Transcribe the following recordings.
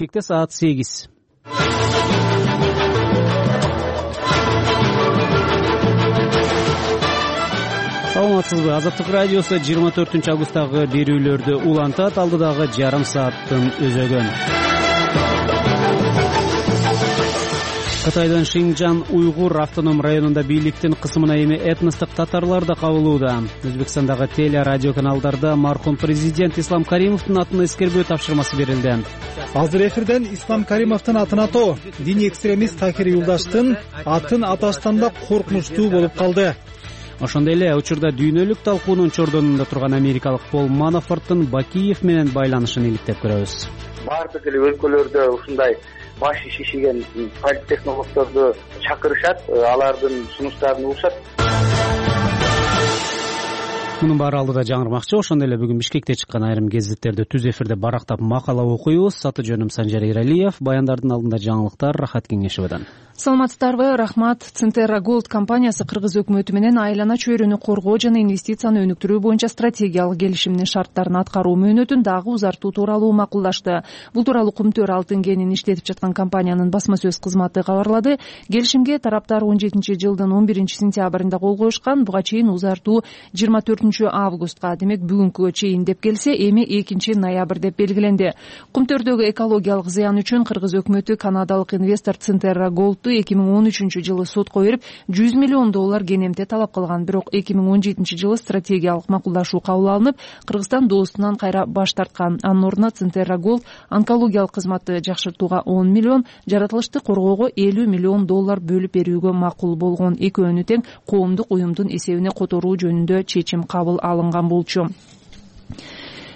Бишкекте саат 8. Саламатсызбы? Азаттык радиосу 24-августтагы берүүлөрдү улантат. Алдыдагы жарым сааттын өзөгөн. Кытайдын Шинжан уйгур автоном районунда бийликтин кысымына эми этностук татарлар да кабылууда. Өзбекстандагы теле радио каналдарда мархум президент Ислам Каримовдун атына эскербөө тапшырмасы берилди. Азыр эфирден Ислам Каримовдун атын атоо диний экстремист Такир Юлдаштын атын аташтан коркунучтуу болуп калды. Ошондой эле учурда дүйнөлүк талкуунун чордонунда турган америкалык Пол Манафорттун Бакиев менен байланышын иликтеп көрөбүз. Бардык эле өлкөлөрдө ушундай башы шишиген политтехнологдорду чакырышат, алардын сунуштарын угушат. Мунун баары алдыда жаңырмакчы. Ошондой эле бүгүн Бишкекте чыккан айрым гезиттерди түз эфирде барактап макала окуйбуз. Аты жөнүм Санжар Иралиев. Баяндардын алдында жаңылыктар Рахат Кеңешевадан. Саламатсыздарбы? Рахмат. Центерра Голд компаниясы Кыргыз өкмөтү менен айлана чөйрөнү коргоо жана инвестицияны өнүктүрүү боюнча стратегиялык келишимдин шарттарын аткаруу мөөнөтүн дагы узартуу тууралуу макулдашты. Бул тууралуу Кумтөр алтын кенин иштетип жаткан компаниянын басма сөз кызматы кабарлады. Келишимге тараптар 17-жылдын 11-сентябрында кол коюшкан. Буга чейин узартуу 24-августка, демек бүгүнкүгө чейин деп келсе, эми 2-ноябрь деп белгиленди. Кумтөрдөгү экологиялык зыян үчүн Кыргыз өкмөтү канадалык инвестор Центерра Голдту 2013-жылы сотко берип $100 миллион кенемте талап кылган. Бирок 2017-жылы стратегиялык макулдашуу кабыл алынып, Кыргызстан доосунан кайра баш тарткан. Анын ордуна Центерра Голд онкологиялык кызматты жакшыртууга $10 миллион, жаратылышты коргоого $50 миллион бөлүп берүүгө макул болгон. Экөөнү тең коомдук уюмдун эсебине которуу жөнүндө чечим кабыл алынган болчу.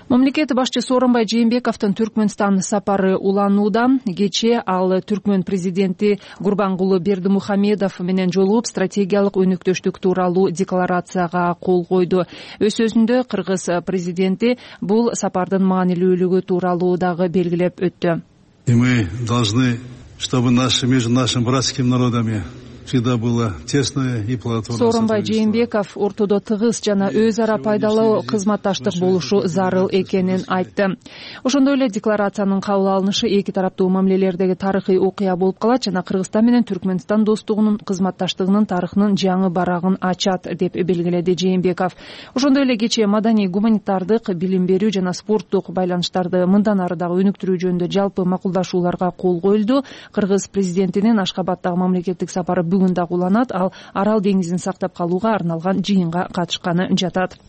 Мамлекет башчы Сооронбай Жээнбековдун Түркмөнстан сапары уланууда. Кечээ ал Түркмөн президенти Гурбангулы Бердимухамедов менен жолугуп, стратегиялык өнүктөштүк тууралуу декларацияга кол койду. Өз сөзүндө Кыргыз президенти бул сапардын маанилүүлүгү тууралуу дагы белгилеп өттү. И мы должны, чтобы между нашими братскими народами всегда было тесное и плодотворное. Сооронбай Жээнбеков ортодо тыгыз жана өз ара пайдалуу кызматташтык болушу зарыл экенин айтты. Ошондой эле декларациянын кабыл алынышы эки тараптуу мамилелердеги тарыхый окуя болуп калат жана Кыргызстан менен Түркмөнстан достугунун кызматташтыгынын тарыхынын жаңы барагын ачат деп белгиледи Жээнбеков. Ошондой эле кечээ маданий, гуманитардык, билим берүү жана спорттук байланыштарды мындан ары дагы өнүктүрүү жөнүндө жалпы макулдашууларга кол коюлду. Кыргыз президентинин Ашкабадтагы мамлекеттик сапары бүгүн дагы уланат. Ал Арал деңизин сактап калууга арналган жыйынга катышканы жатат.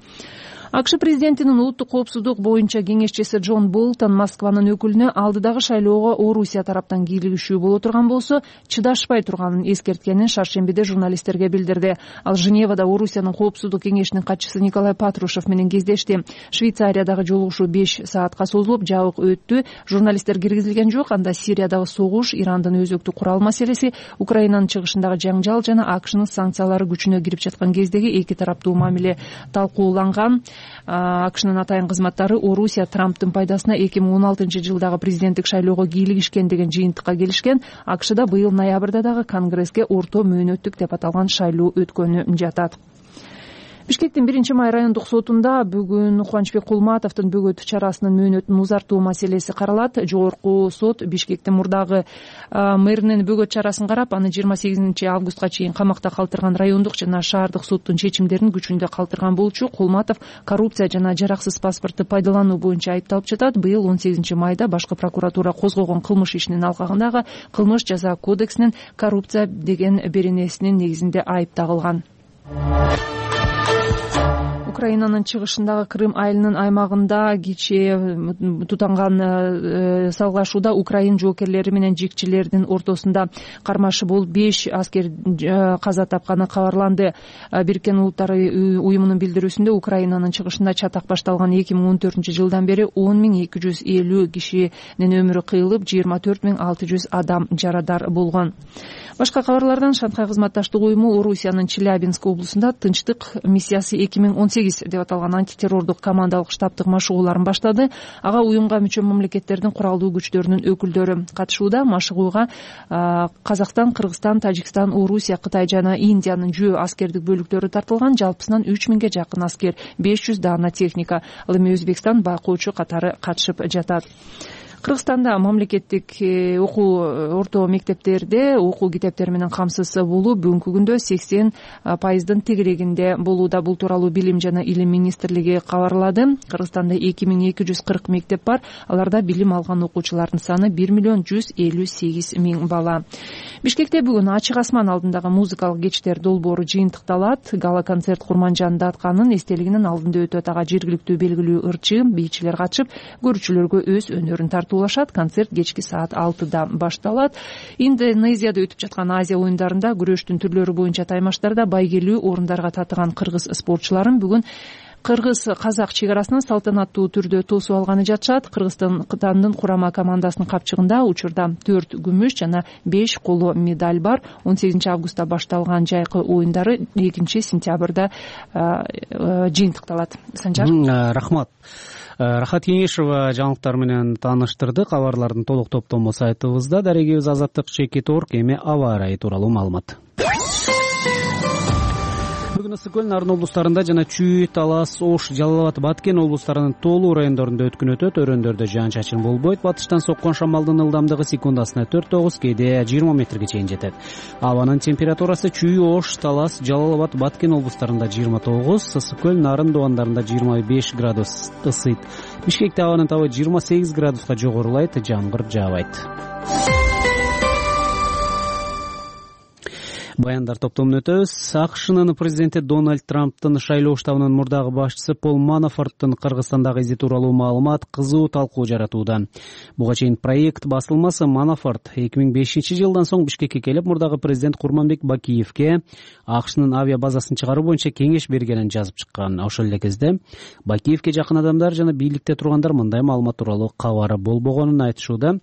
АКШ президентинин улуттук коопсуздук боюнча кеңешчиси Джон Болтон Москванын өкүлүнө алдыдагы шайлоого Орусия тараптан кийлигишүү боло турган болсо, чыдашпай турганын эскерткенин шаршембиде журналисттерге билдирди. Ал Женевада Орусиянын коопсуздук кеңешинин катчысы Николай Патрушев менен кездешти. Швейцариядагы жолугушуу 5 саатка созулуп, жабык өттү. Журналисттер киргизилген жок. Анда Сириядагы согуш, Ирандын өзөктүк курал маселеси, Украинанын чыгышындагы жаңжал жана АКШнын санкциялары күчүнө кирип жаткан кездеги эки тараптуу мамиле талкууланган. АКШнын атайын кызматтары Орусия Трамптын пайдасына 2016-жылдагы президенттик шайлоого кийлигишкен деген жыйынтыкка келишкен. АКШда быйыл ноябрда дагы Конгресске орто мөөнөттүк деп аталган шайлоо өткөнү жатат. Бишкектин 1-май райондук сотунда бүгүн Кубанычбек Кулматовдун бөгөт чарасынын мөөнөтүн узартуу маселеси каралат. Жогорку сот Бишкектин мурдагы мэринин бөгөт чарасын карап, аны 28-августка чейин камакта калтырган райондук жана шаардык соттун чечимдерин күчүндө калтырган болчу. Кулматов коррупция жана жараксыз паспортты пайдалануу боюнча айыпталып жатат. Быйыл 18-майда башкы прокуратура козгогон кылмыш ишинин алкагындагы кылмыш жаза кодексинин коррупция деген беренесинин негизинде айып тагылган. Украинанын чыгышындагы Крым айылынын аймагында кечээ тутанган салгылашууда Украин жоокерлери менен жикчилердин ортосунда кармашы болуп 5 аскер каза тапканы кабарланды. Бириккен Улуттар уюмунун билдирүүсүндө Украинанын чыгышында чатак башталган 2014-жылдан бери 10.250 кишинин өмүрү кыйылып, 24.600 адам жарадар болгон. Башка кабарлардан Шанхай кызматташтык уюму Орусиянын Челябинск облусунда тынчтык миссиясы 2018 деп аталган антитеррордук командалык штабтык машыгууларын баштады. Ага уюмга мүчө мамлекеттердин куралдуу күчтөрүнүн өкүлдөрү катышууда. Машыгууга Казакстан, Кыргызстан, Тажикстан, Орусия, Кытай жана Индиянын жөө аскердик бөлүктөрү тартылган. Жалпысынан 3000ге жакын аскер, 500 даана техника. Ал эми Өзбекстан байкоочу катары катышып жатат. Кыргызстанда мамлекеттик орто мектептерде окуу китептери менен камсыз болуу бүгүнкү күндө 80% тегерегинде болууда. Бул тууралуу Билим жана Илим министрлиги кабарлады. Кыргызстанда 2240 мектеп бар. Аларда билим алган окуучулардын саны 1,158,000 бала. Бишкекте бүгүн ачык асман алдындагы музыкалык кечтер долбоору жыйынтыкталат. Гала концерт Курманжан Датканын эстелигинин алдында өтөт. Ага жергиликтүү белгилүү ырчы, бийчилер катышып, көрүүчүлөргө өз өнөрүн тартуулашат. Концерт кечки саат 6-да башталат. Индонезияда өтүп жаткан Азия оюндарында күрөштүн түрлөрү боюнча таймаштарда байгелүү орундарга татыган кыргыз спортчуларын бүгүн кыргыз-казак чек арасынан салтанаттуу түрдө тосуп алганы жатышат. Кыргызстандын курама командасынын капчыгында учурда 4 күмүш жана 5 коло медаль бар. 18 августта башталган жайкы оюндары 2 сентябрда жыйынтыкталат. Санжар, рахмат. Рахат Кеңешова жаңылыктар менен тааныштырды. Кабарлардын толук топтому сайтыбызда. Дарегибиз Азаттык Чекит.орг. Эми аба ырайы тууралуу маалымат. Бүгүн Ысык көл, Нарын облустарында жана Чүй, Талас, Ош, Жалал абад, Баткен облустарынын тоолуу райондорунда өткүн өтөт. Өрөндөрдө жаан-чачын болбойт. Батыштан соккон шамалдын ылдамдыгы секундасына 4-9, кээде 20 метрге чейин жетет. Абанын температурасы Чүй, Ош, Талас, Жалал абад, Баткен облустарында 29, Ысык көл, Нарын дубандарында 25 градус ысыйт. Бишкекте абанын табы 28 градуска жогорулайт, жамгыр жаабайт. Баяндар топтомун өтөбүз. АКШнын президенти Дональд Трамптын шайлоо штабынын мурдагы башчысы Пол Манафорттун Кыргызстандагы изи тууралуу маалымат кызуу талкуу жаратууда. Буга чейин проект басылмасы Манафорт 2005-жылдан соң Бишкекке келип, мурдагы президент Курманбек Бакиевке АКШнын авиа базасын чыгаруу боюнча кеңеш бергенин жазып чыккан. Ошол эле кезде Бакиевке жакын адамдар жана бийликте тургандар мындай маалымат тууралуу кабары болбогонун айтышууда.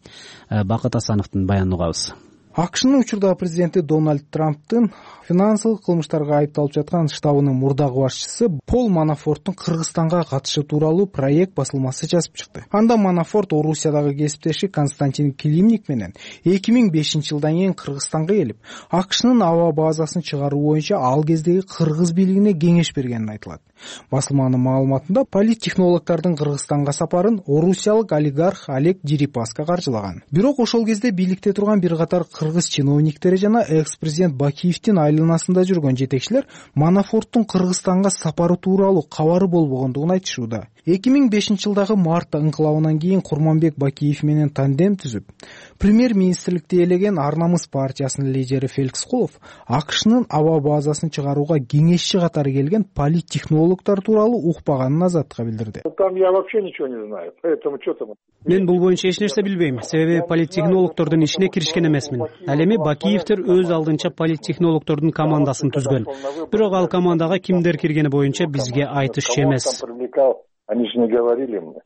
Бакыт Асановдун баянын угабыз. АКШнын учурдагы президенти Дональд Трамптын финансылык кылмыштарга айыпталып жаткан штабынын мурдагы башчысы Пол Манафорттун Кыргызстанга катышы тууралуу проект басылмасы жазып чыкты. Анда Манафорт Орусиядагы кесиптеши Константин Климник менен 2005-жылдан кийин Кыргызстанга келип, АКШнын аба базасын чыгаруу боюнча ал кездеги кыргыз бийлигине кеңеш бергенин айтылат. Басылманын маалыматында политтехнологдордун Кыргызстанга сапарын орусиялык олигарх Олег Дерипаска каржылаган. Бирок ошол кезде бийликте турган бир катар кыргыз чиновниктери жана экс-президент Бакиевдин айланасында жүргөн жетекчилер Манафорттун Кыргызстанга сапары тууралуу кабары болбогондугун айтышууда. 2005-жылдагы март ыңкылабынан кийин Курманбек Бакиев менен тандем түзүп, премьер-министрликти ээлеген Ар намыс партиясынын лидери Феликс Кулов АКШнын аба базасын чыгарууга кеңешчи катары келген политтехнологдор тууралуу укпаганын Азаттыкка билдирди. Там я вообще ничего не знаю, поэтому что там? Мен бул боюнча эч нерсе билбейм, себеби политтехнологдордун ишине киришкен эмесмин. Ал эми Бакиевдер өз алдынча политтехнологдордун командасын түзгөн. Бирок ал командага кимдер киргени боюнча бизге айтышчу эмес. Они же не говорили мне.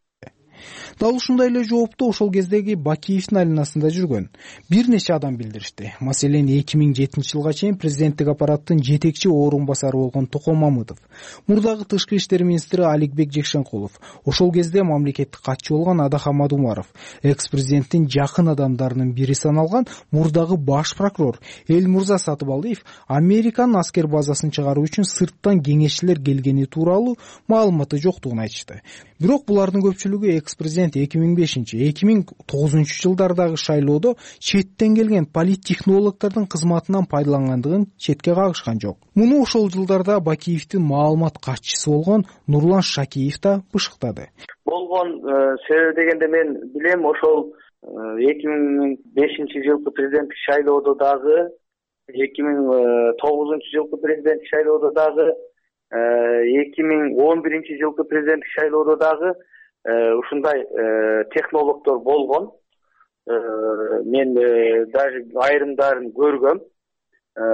Дал ушундай эле жоопту ошол кездеги Бакиевдин айланасында жүргөн бир нече адам билдиришти. Маселен, 2007-жылга чейин президенттик аппараттын жетекчи орун басары болгон Токон Мамытов, мурдагы тышкы иштер министри Аликбек Жекшенкулов, ошол кезде мамлекеттик катчы болгон Адахамад Умаров, экс-президенттин жакын адамдарынын бири саналган мурдагы баш прокурор Элмурза Сатыбалдиев Американын аскер базасын чыгаруу үчүн сырттан кеңешчилер келгени тууралуу маалыматы жоктугун айтышты. Бирок булардын көпчүлүгү экс-президент 2005-2009 жылдардагы шайлоодо четтен келген политтехнологдордун кызматынан пайдалангандыгын четке кагышкан жок. Муну ошол жылдарда Бакиевдин маалымат катчысы болгон Нурлан Шакиев да бышыктады. Болгон себеби дегенде мен билем, ошол 2005-жылкы президенттик шайлоодо дагы, 2009-жылкы президенттик шайлоодо дагы, 2011-жылкы президенттик шайлоодо дагы ушундай технологдор болгон. Мен даже айрымдарын көргөм.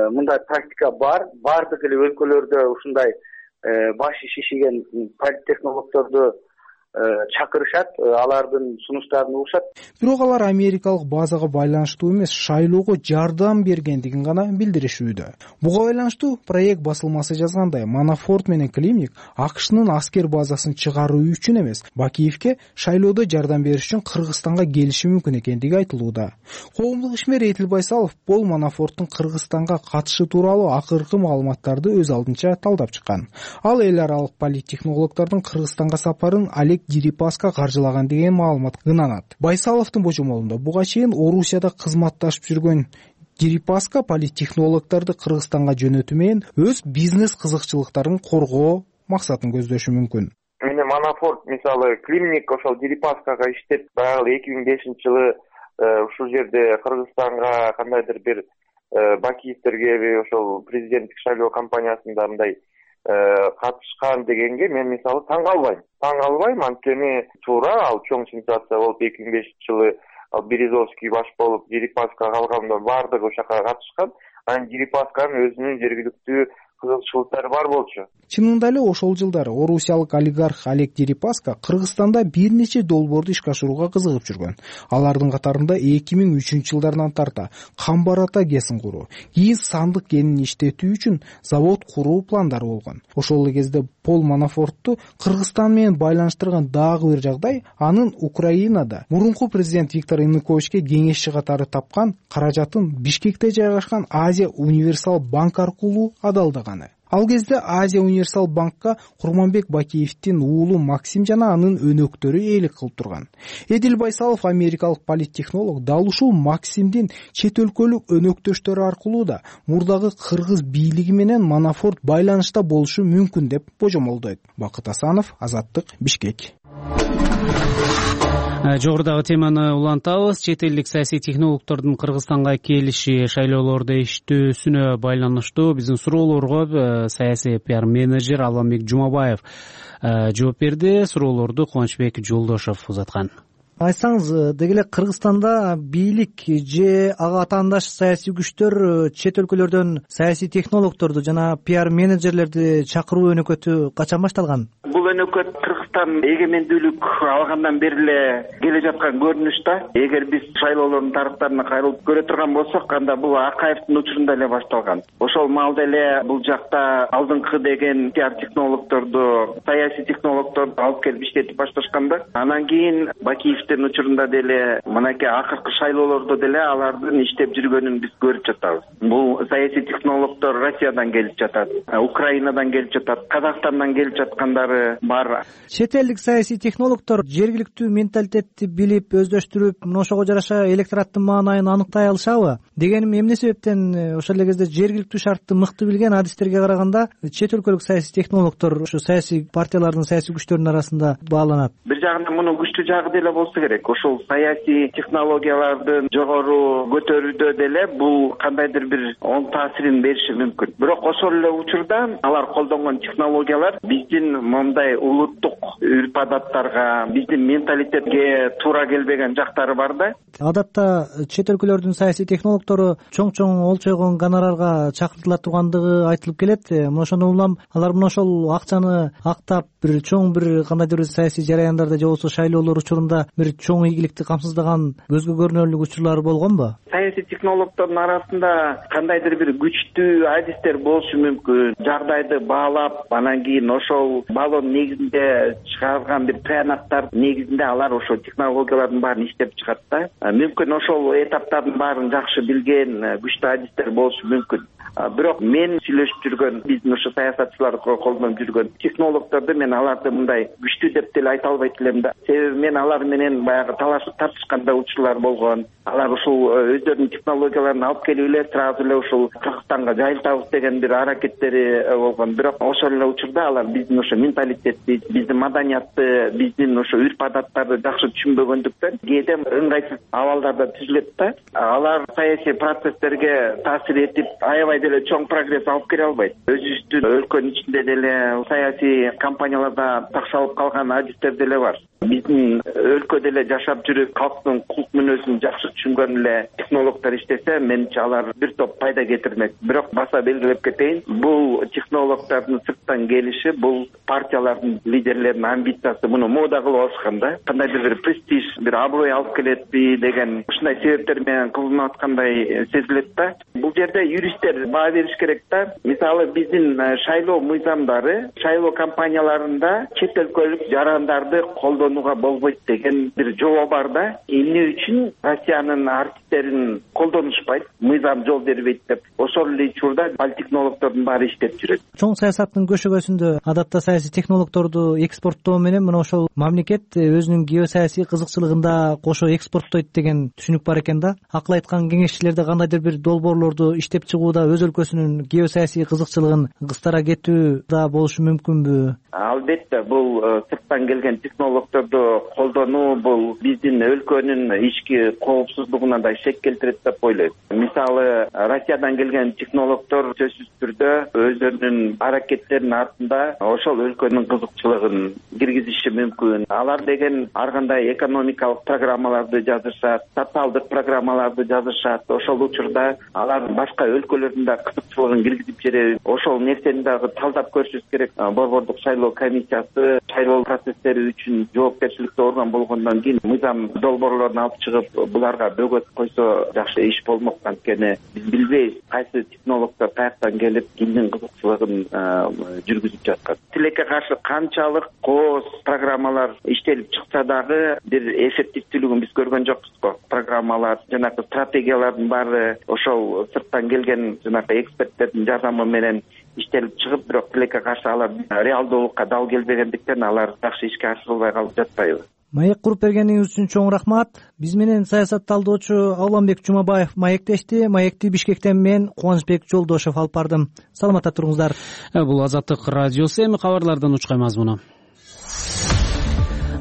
Мындай практика бар. Бардык эле өлкөлөрдө ушундай башы шишиген политтехнологдорду чакырышат, алардын сунуштарын угушат. Бирок алар америкалык базага байланыштуу эмес, шайлоого жардам бергендигин гана билдиришүүдө. Буга байланыштуу проект басылмасы жазгандай, Манафорт менен Климник АКШнын аскер базасын чыгаруу үчүн эмес, Бакиевке шайлоодо жардам бериш үчүн Кыргызстанга келиши мүмкүн экендиги айтылууда. Коомдук ишмер Этил Байсалов Пол Манафорттун Кыргызстанга катышы тууралуу акыркы маалыматтарды өз алдынча талдап чыккан. Ал эл аралык политтехнологдордун Кыргызстанга сапарын Олег Дерипаска каржылаган деген маалымат ынанат. Байсаловдун божомолунда буга чейин Орусияда кызматташып жүргөн Дерипаска политтехнологдорду Кыргызстанга жөнөтүү менен өз бизнес кызыкчылыктарын коргоо максатын көздөшү мүмкүн. Мени Манафорт мисалы Климник ошол Дерипаскага иштеп баягы 2005-жылы ушул жерде Кыргызстанга кандайдыр бир Бакиевтерге ошол президенттик шайлоо кампаниясында мындай катышкан дегенге мен мисалы таң калбайм, анткени туура ал чоң сенсация болуп 2005-жылы ал Березовский баш болуп Дерипаска калганда баардыгы ошол жака катышкан. Анан Дерипасканын өзүнүн жергиликтүү кызыкчылыктары бар болчу. Чынында эле ошол жылдары орусиялык олигарх Олег Дерипаска Кыргызстанда бир нече долбоорду ишке ашырууга кызыгып жүргөн. Алардын катарында 2003-жылдардан тарта камбар ата кесин куруу, кийин сандык кенин иштетүү үчүн завод куруу пландары болгон. Ошол эле кезде Пол Манафортту Кыргызстан менен байланыштырган дагы бир жагдай анын Украинада мурунку президент Виктор Януковичке кеңешчи катары тапкан каражатын Бишкекте жайгашкан Азия Универсал банк аркылуу адалдаганы. Ал кезде Азия Универсал банкка Курманбек Бакиевдин уулу Максим жана анын өнөктөрү ээлик кылып турган. Эдил Байсалов америкалык политтехнолог дал ушул Максимдин чет өлкөлүк өнөктөштөрү аркылуу да мурдагы кыргыз бийлиги менен Манафорт байланышта болушу мүмкүн деп божомолдойт. Бакыт Асанов, Азаттык, Бишкек. Жогорудагы теманы улантабыз. Чет элдик саясий технологдордун Кыргызстанга келиши шайлоолордо иштөөсүнө байланыштуу биздин суроолорго саясий пиар менеджер Албанбек Жумабаев жооп берди. Суроолорду Кубанычбек Жолдошов узаткан. Айтсаңыз, деги эле Кыргызстанда бийлик же ага атаандаш саясий күчтөр чет өлкөлөрдөн саясий технологдорду жана пиар менеджерлерди чакыруу өнөкөтү качан башталган? Бул өнөкөт Кыргызстан эгемендүүлүк алгандан бери эле келе жаткан көрүнүш да. Эгер биз шайлоолордун тарыхтарына кайрылып көрө турган болсок, анда бул Акаевдин учурунда эле башталган. Ошол маалда эле бул жакта алдыңкы деген пиар технологдорду, саясий технологдорду алып келип иштетип башташканда, анан кийин Бакиевдин учурунда деле мынакей акыркы шайлоолордо деле алардын иштеп жүргөнүн биз көрүп жатабыз. Бул саясий технологдор Россиядан келип жатат, Украинадан келип жатат, Казакстандан келип жаткандары бар. Чет элдик саясий технологдор жергиликтүү менталитетти билип, өздөштүрүп, ошого жараша электораттын маанайын аныктай алышабы? Дегеним, эмне себептен ошол эле кезде жергиликтүү шартты мыкты билген адистерге караганда чет өлкөлүк саясий технологдор ошо саясий партиялардын, саясий күчтөрдүн арасында бааланат? Бир жагынан мунун күчтүү жагы деле болсо керек. Ошол саясий технологиялардын жогору көтөрүүдө деле бул кандайдыр бир оң таасирин бериши мүмкүн. Бирок ошол эле учурда алар колдонгон технологиялар биздин мындай улуттук үрп-адаттарга, биздин менталитетке туура келбеген жактары бар да. Адатта чет өлкөлөрдүн саясий технологдору чоң олчойгон гонорарга чакыртыла тургандыгы айтылып келет. Ошондон улам алар мына ошол акчаны актап бир чоң бир кандайдыр бир саясий жараяндарда же болбосо шайлоолор учурунда бир чоң ийгиликти камсыздаган көзгө көрүнөрлүк учурлар болгонбу? Саясий технологдордун арасында кандайдыр бир күчтүү адистер болушу мүмкүн. Жагдайды баалап, анан кийин ошол балон негизинде чыгарган бир тыянактар негизинде алар ошол технологиялардын баарын иштеп чыгат да. Мүмкүн ошол этаптардын баарын жакшы билген күчтүү адистер болушу мүмкүн. Бирок мен сүйлөшүп жүргөн, биздин ошо саясатчылар колдонуп жүргөн технологдорду мен аларды мындай күчтүү деп деле айта албайт элем да. Себеби мен алар менен баягы талашып тартышканда учурлар болгон. Алар ушул өздөрүнүн технологияларын алып келип эле сразу эле ушул Кыргызстанга жайылтабыз деген бир аракеттери болгон. Бирок ошол эле учурда алар биздин ошо менталитетти, биздин маданиятты, биздин ошо үрп-адаттарды жакшы түшүнбөгөндүктөн кээде ыңгайсыз абалдарда түзүлөт да. Алар саясий процесстерге таасир этип, аябай деле чоң прогресс алып келе албайт. Өзүбүздүн өлкөнүн ичинде деле саясий кампанияларда такшалып калган адистер деле бар. Биздин өлкөдө эле жашап жүрүп, калктын кулк мүнөзүн жакшы түшүнгөн эле технологдор иштесе, менимче алар бир топ пайда кетирмек. Бирок баса белгилеп кетейин, бул технологдордун сырттан келиши, бул партиялардын лидерлеринин амбициясы, муну мода кылып алышкан да. Кандайдыр бир престиж, бир аброй алып келетпи деген ушундай себептер менен кылынып аткандай сезилет да. Бул жерде юристтер баа бериш керек да. Мисалы биздин шайлоо мыйзамдары, шайлоо кампанияларында чет өлкөлүк жарандарды колдонуу колдонууга болбойт деген бир жобо бар да. Эмне үчүн Россиянын артисттерин колдонушпайт, мыйзам жол бербейт деп. Ошол эле учурда политтехнологдордун баары иштеп жүрөт. Чоң саясаттын көшөгөсүндө адатта саясий технологдорду экспорттоо менен мына ошол мамлекет өзүнүн геосаясий кызыкчылыгында кошо экспорттойт деген түшүнүк бар экен да. Акыл айткан кеңешчилерде кандайдыр бир долбоорлорду иштеп чыгууда өз өлкөсүнүн геосаясий кызыкчылыгын кыстара кетүү да болушу мүмкүнбү? Албетте, бул сырттан келген технологдорду колдонуу бул биздин өлкөнүн ички коопсуздугуна да шек келтирет деп ойлойм. Мисалы, Россиядан келген технологдор сөзсүз түрдө өздөрүнүн аракеттеринин артында ошол өлкөнүн кызыкчылыгын киргизиши мүмкүн. Алар деген ар кандай экономикалык программаларды жазышат, социалдык программаларды жазышат. Ошол учурда алар башка өлкөлөрдүн да кызыкчылыгын киргизип жиберет. Ошол нерсени дагы талдап көрүшүбүз керек. Борбордук шайлоо комиссиясы шайлоо процесстери үчүн жоопкерчиликтүү орган болгондон кийин мыйзам долбоорлорун алып чыгып, буларга бөгөт койсо жакшы иш болмок. Анткени биз билбейбиз кайсы технологдор каяктан келип кимдин кызыкчылыгын жүргүзүп жаткан. Тилекке каршы канчалык кооз программалар иштелип чыкса дагы бир эффективдүүлүгүн биз көргөн жокпуз го. Программалар, жанагы стратегиялардын баары ошол сырттан келген жанагы эксперттердин жардамы менен иштелип чыгып, бирок тилекке каршы алар реалдуулукка дал келбегендиктен алар жакшы ишке ашырылбай калып жатпайбы? Маек куруп бергениңиз үчүн чоң рахмат. Биз менен саясат талдоочу Алламбек Жумабаев маектешти. Маекти Бишкектен мен Кубанычбек Жолдошов алып бардым. Саламатта туруңуздар. Бул Азаттык радиосу. Эми кабарлардан учкай мазмуну.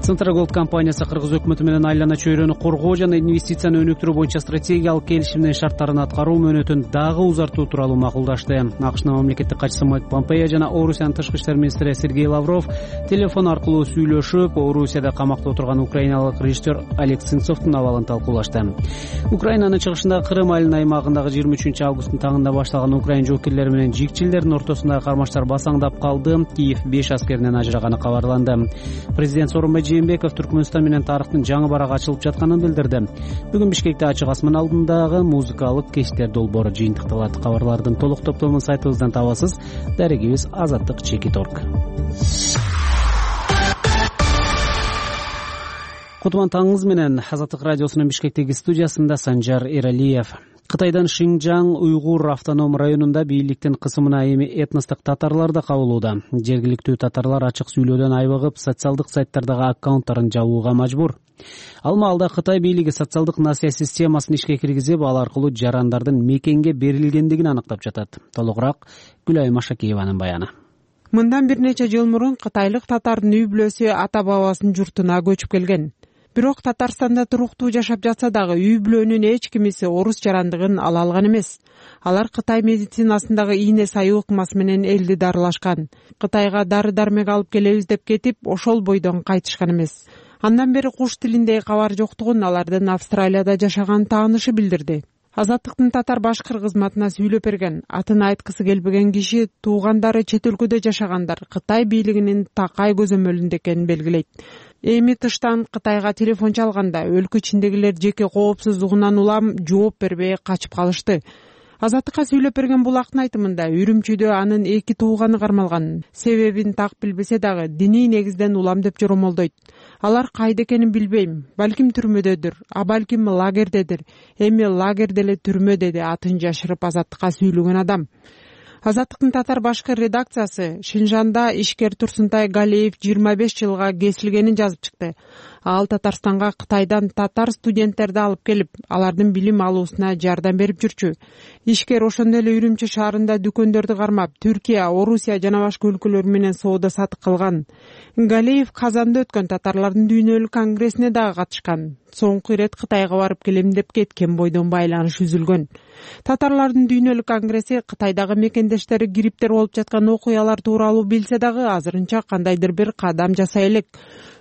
Централдык компаниясы Кыргыз өкмөтү менен айлана чөйрөнү коргоо жана инвестицияны өнүктүрүү боюнча стратегиялык келишимдин шарттарын аткаруу мөөнөтүн дагы узартуу тууралуу макулдашты. АКШнын мамлекеттик катчысы Майк Помпео жана Орусиянын тышкы иштер министри Сергей Лавров телефон аркылуу сүйлөшүп, Орусияда камакта отурган украиналык режиссер Олег Сенцовдун абалын талкуулашты. Украинанын чыгышындагы Крым айылынын аймагындагы 23 августтун таңында башталган Украин жоокерлери менен жигчилердин ортосундагы кармаштар басаңдап калды. Киев 5 аскеринен ажыраганы кабарланды. Президент Сооронбай Жээнбеков Түркмөнстан менен тарыхтын жаңы барак ачылып жатканын билдирди. Бүгүн Бишкекте ачык асман алдындагы музыкалык кечтер долбоору жыйынтыкталат. Кабарлардын толук топтомун сайтыбыздан табасыз. Дарегибиз azattik.org. Кутман таңыңыз менен Азаттык радиосунун Бишкектеги студиясында Санжар Эралиев. Кытайдан Шинжаң уйгур автоном районунда бийликтин кысымына эми этностук татарлар да кабылууда. Жергиликтүү татарлар ачык сүйлөөдөн айбыгып, социалдык сайттардагы аккаунттарын жабууга мажбур. Ал маалда Кытай бийлиги социалдык насыя системасын ишке киргизип, ал аркылуу жарандардын мекенге берилгендигин аныктап жатат. Толугураак Гүлайым Ашакиеванын баяны. Мындан бир нече жыл мурун кытайлык татардын үй бүлөсү ата бабасынын журтуна көчүп келген. Бирок Татарстанда туруктуу жашап жатса дагы үй бүлөнүн эч кимиси орус жарандыгын ала алган эмес. Алар Кытай медицинасындагы ийне сайуу ыкмасы менен элди дарылашкан. Кытайга дары-дармек алып келебиз деп кетип, ошол бойдон кайтышкан эмес. Андан бери куш тилиндеги кабар жоктугун алардын Австралияда жашаган таанышы билдирди. Азаттыктын татар башкыр кызматына сүйлөп берген, атын айткысы келбеген киши туугандары чет өлкөдө жашагандар Кытай бийлигинин такай көзөмөлүндө экенин белгилейт. Эми тыштан Кытайга телефон чалганда өлкө ичиндегилер жеке коопсуздугунан улам жооп бербей качып калышты. Азаттыкка сүйлөп берген булактын айтымында Үрүмчүдө анын 2 тууганы кармалган. Себебин так билбесе дагы диний негизден улам деп жоромолдойт. Алар кайда экенин билбейм. Балким түрмөдөдүр, а балким лагердедир. Эми лагерде эле түрмө, деди атын жашырып Азаттыкка сүйлөгөн адам. Азаттыктын татар башкыр редакциясы Шинжанда ишкер Турсунтай Галиев 25 жылга кесилгенин жазып чыкты. Ал Татарстанга Кытайдан татар студенттерди алып келип, алардын билим алуусуна жардам берип жүрчү. Ишкер ошондой эле Үрүмчү шаарында дүкөндөрдү кармап, Түркия, Орусия жана башка өлкөлөр менен соода сатык кылган. Галиев Казанда өткөн татарлардын дүйнөлүк конгрессине дагы катышкан. Соңку ирет Кытайга барып келем деп кеткен бойдон байланыш үзүлгөн. Татарлардын дүйнөлүк конгресси Кытайдагы мекендештери кириптер болуп жаткан окуялар тууралуу билсе дагы азырынча кандайдыр бир кадам жасай элек.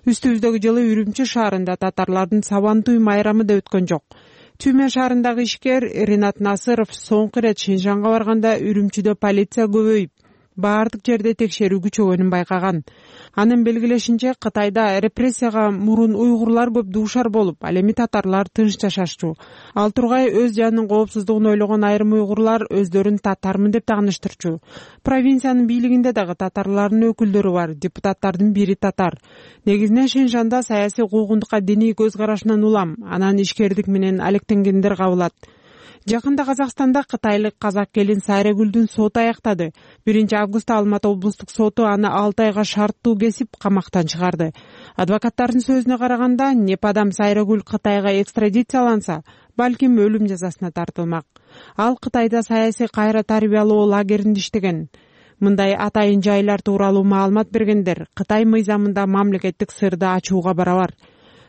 Үстүбүздөгү жылы Үрүмчү шаарында татарлардын Сабантуй майрамы да өткөн жок. Түймө шаарындагы ишкер Ринат Насыров соңку ирет Шинжанга барганда Үрүмчүдө полиция көбөйүп, баардык жерде текшерүү күчөгөнүн байкаган. Анын белгилешинче, Кытайда репрессияга мурун уйгурлар көп дуушар болуп, ал эми татарлар тынч жашашчу. Ал тургай өз жанынын коопсуздугун ойлогон айрым уйгурлар өздөрүн татармын деп тааныштырчу. Провинциянын бийлигинде дагы татарлардын өкүлдөрү бар, депутаттардын бири татар. Негизинен Шинжанда саясий куугунтукка диний көз карашынан улам, анан ишкердик менен алектенгендер кабылат. Жакында Казакстанда кытайлык казак келин Сайрагүлдүн соту аяктады. 1-августта Алматы облустук соту аны 6 айга шарттуу кесип камактан чыгарды. Адвокаттардын сөзүнө караганда, Непадам Сайрагүл Кытайга экстрадицияланса, балким өлүм жазасына тартылмак. Ал Кытайда саясий кайра тарбиялоо лагеринде иштеген. Мындай атайын жайлар тууралуу маалымат бергендер Кытай мыйзамында мамлекеттик сырды ачууга барабар.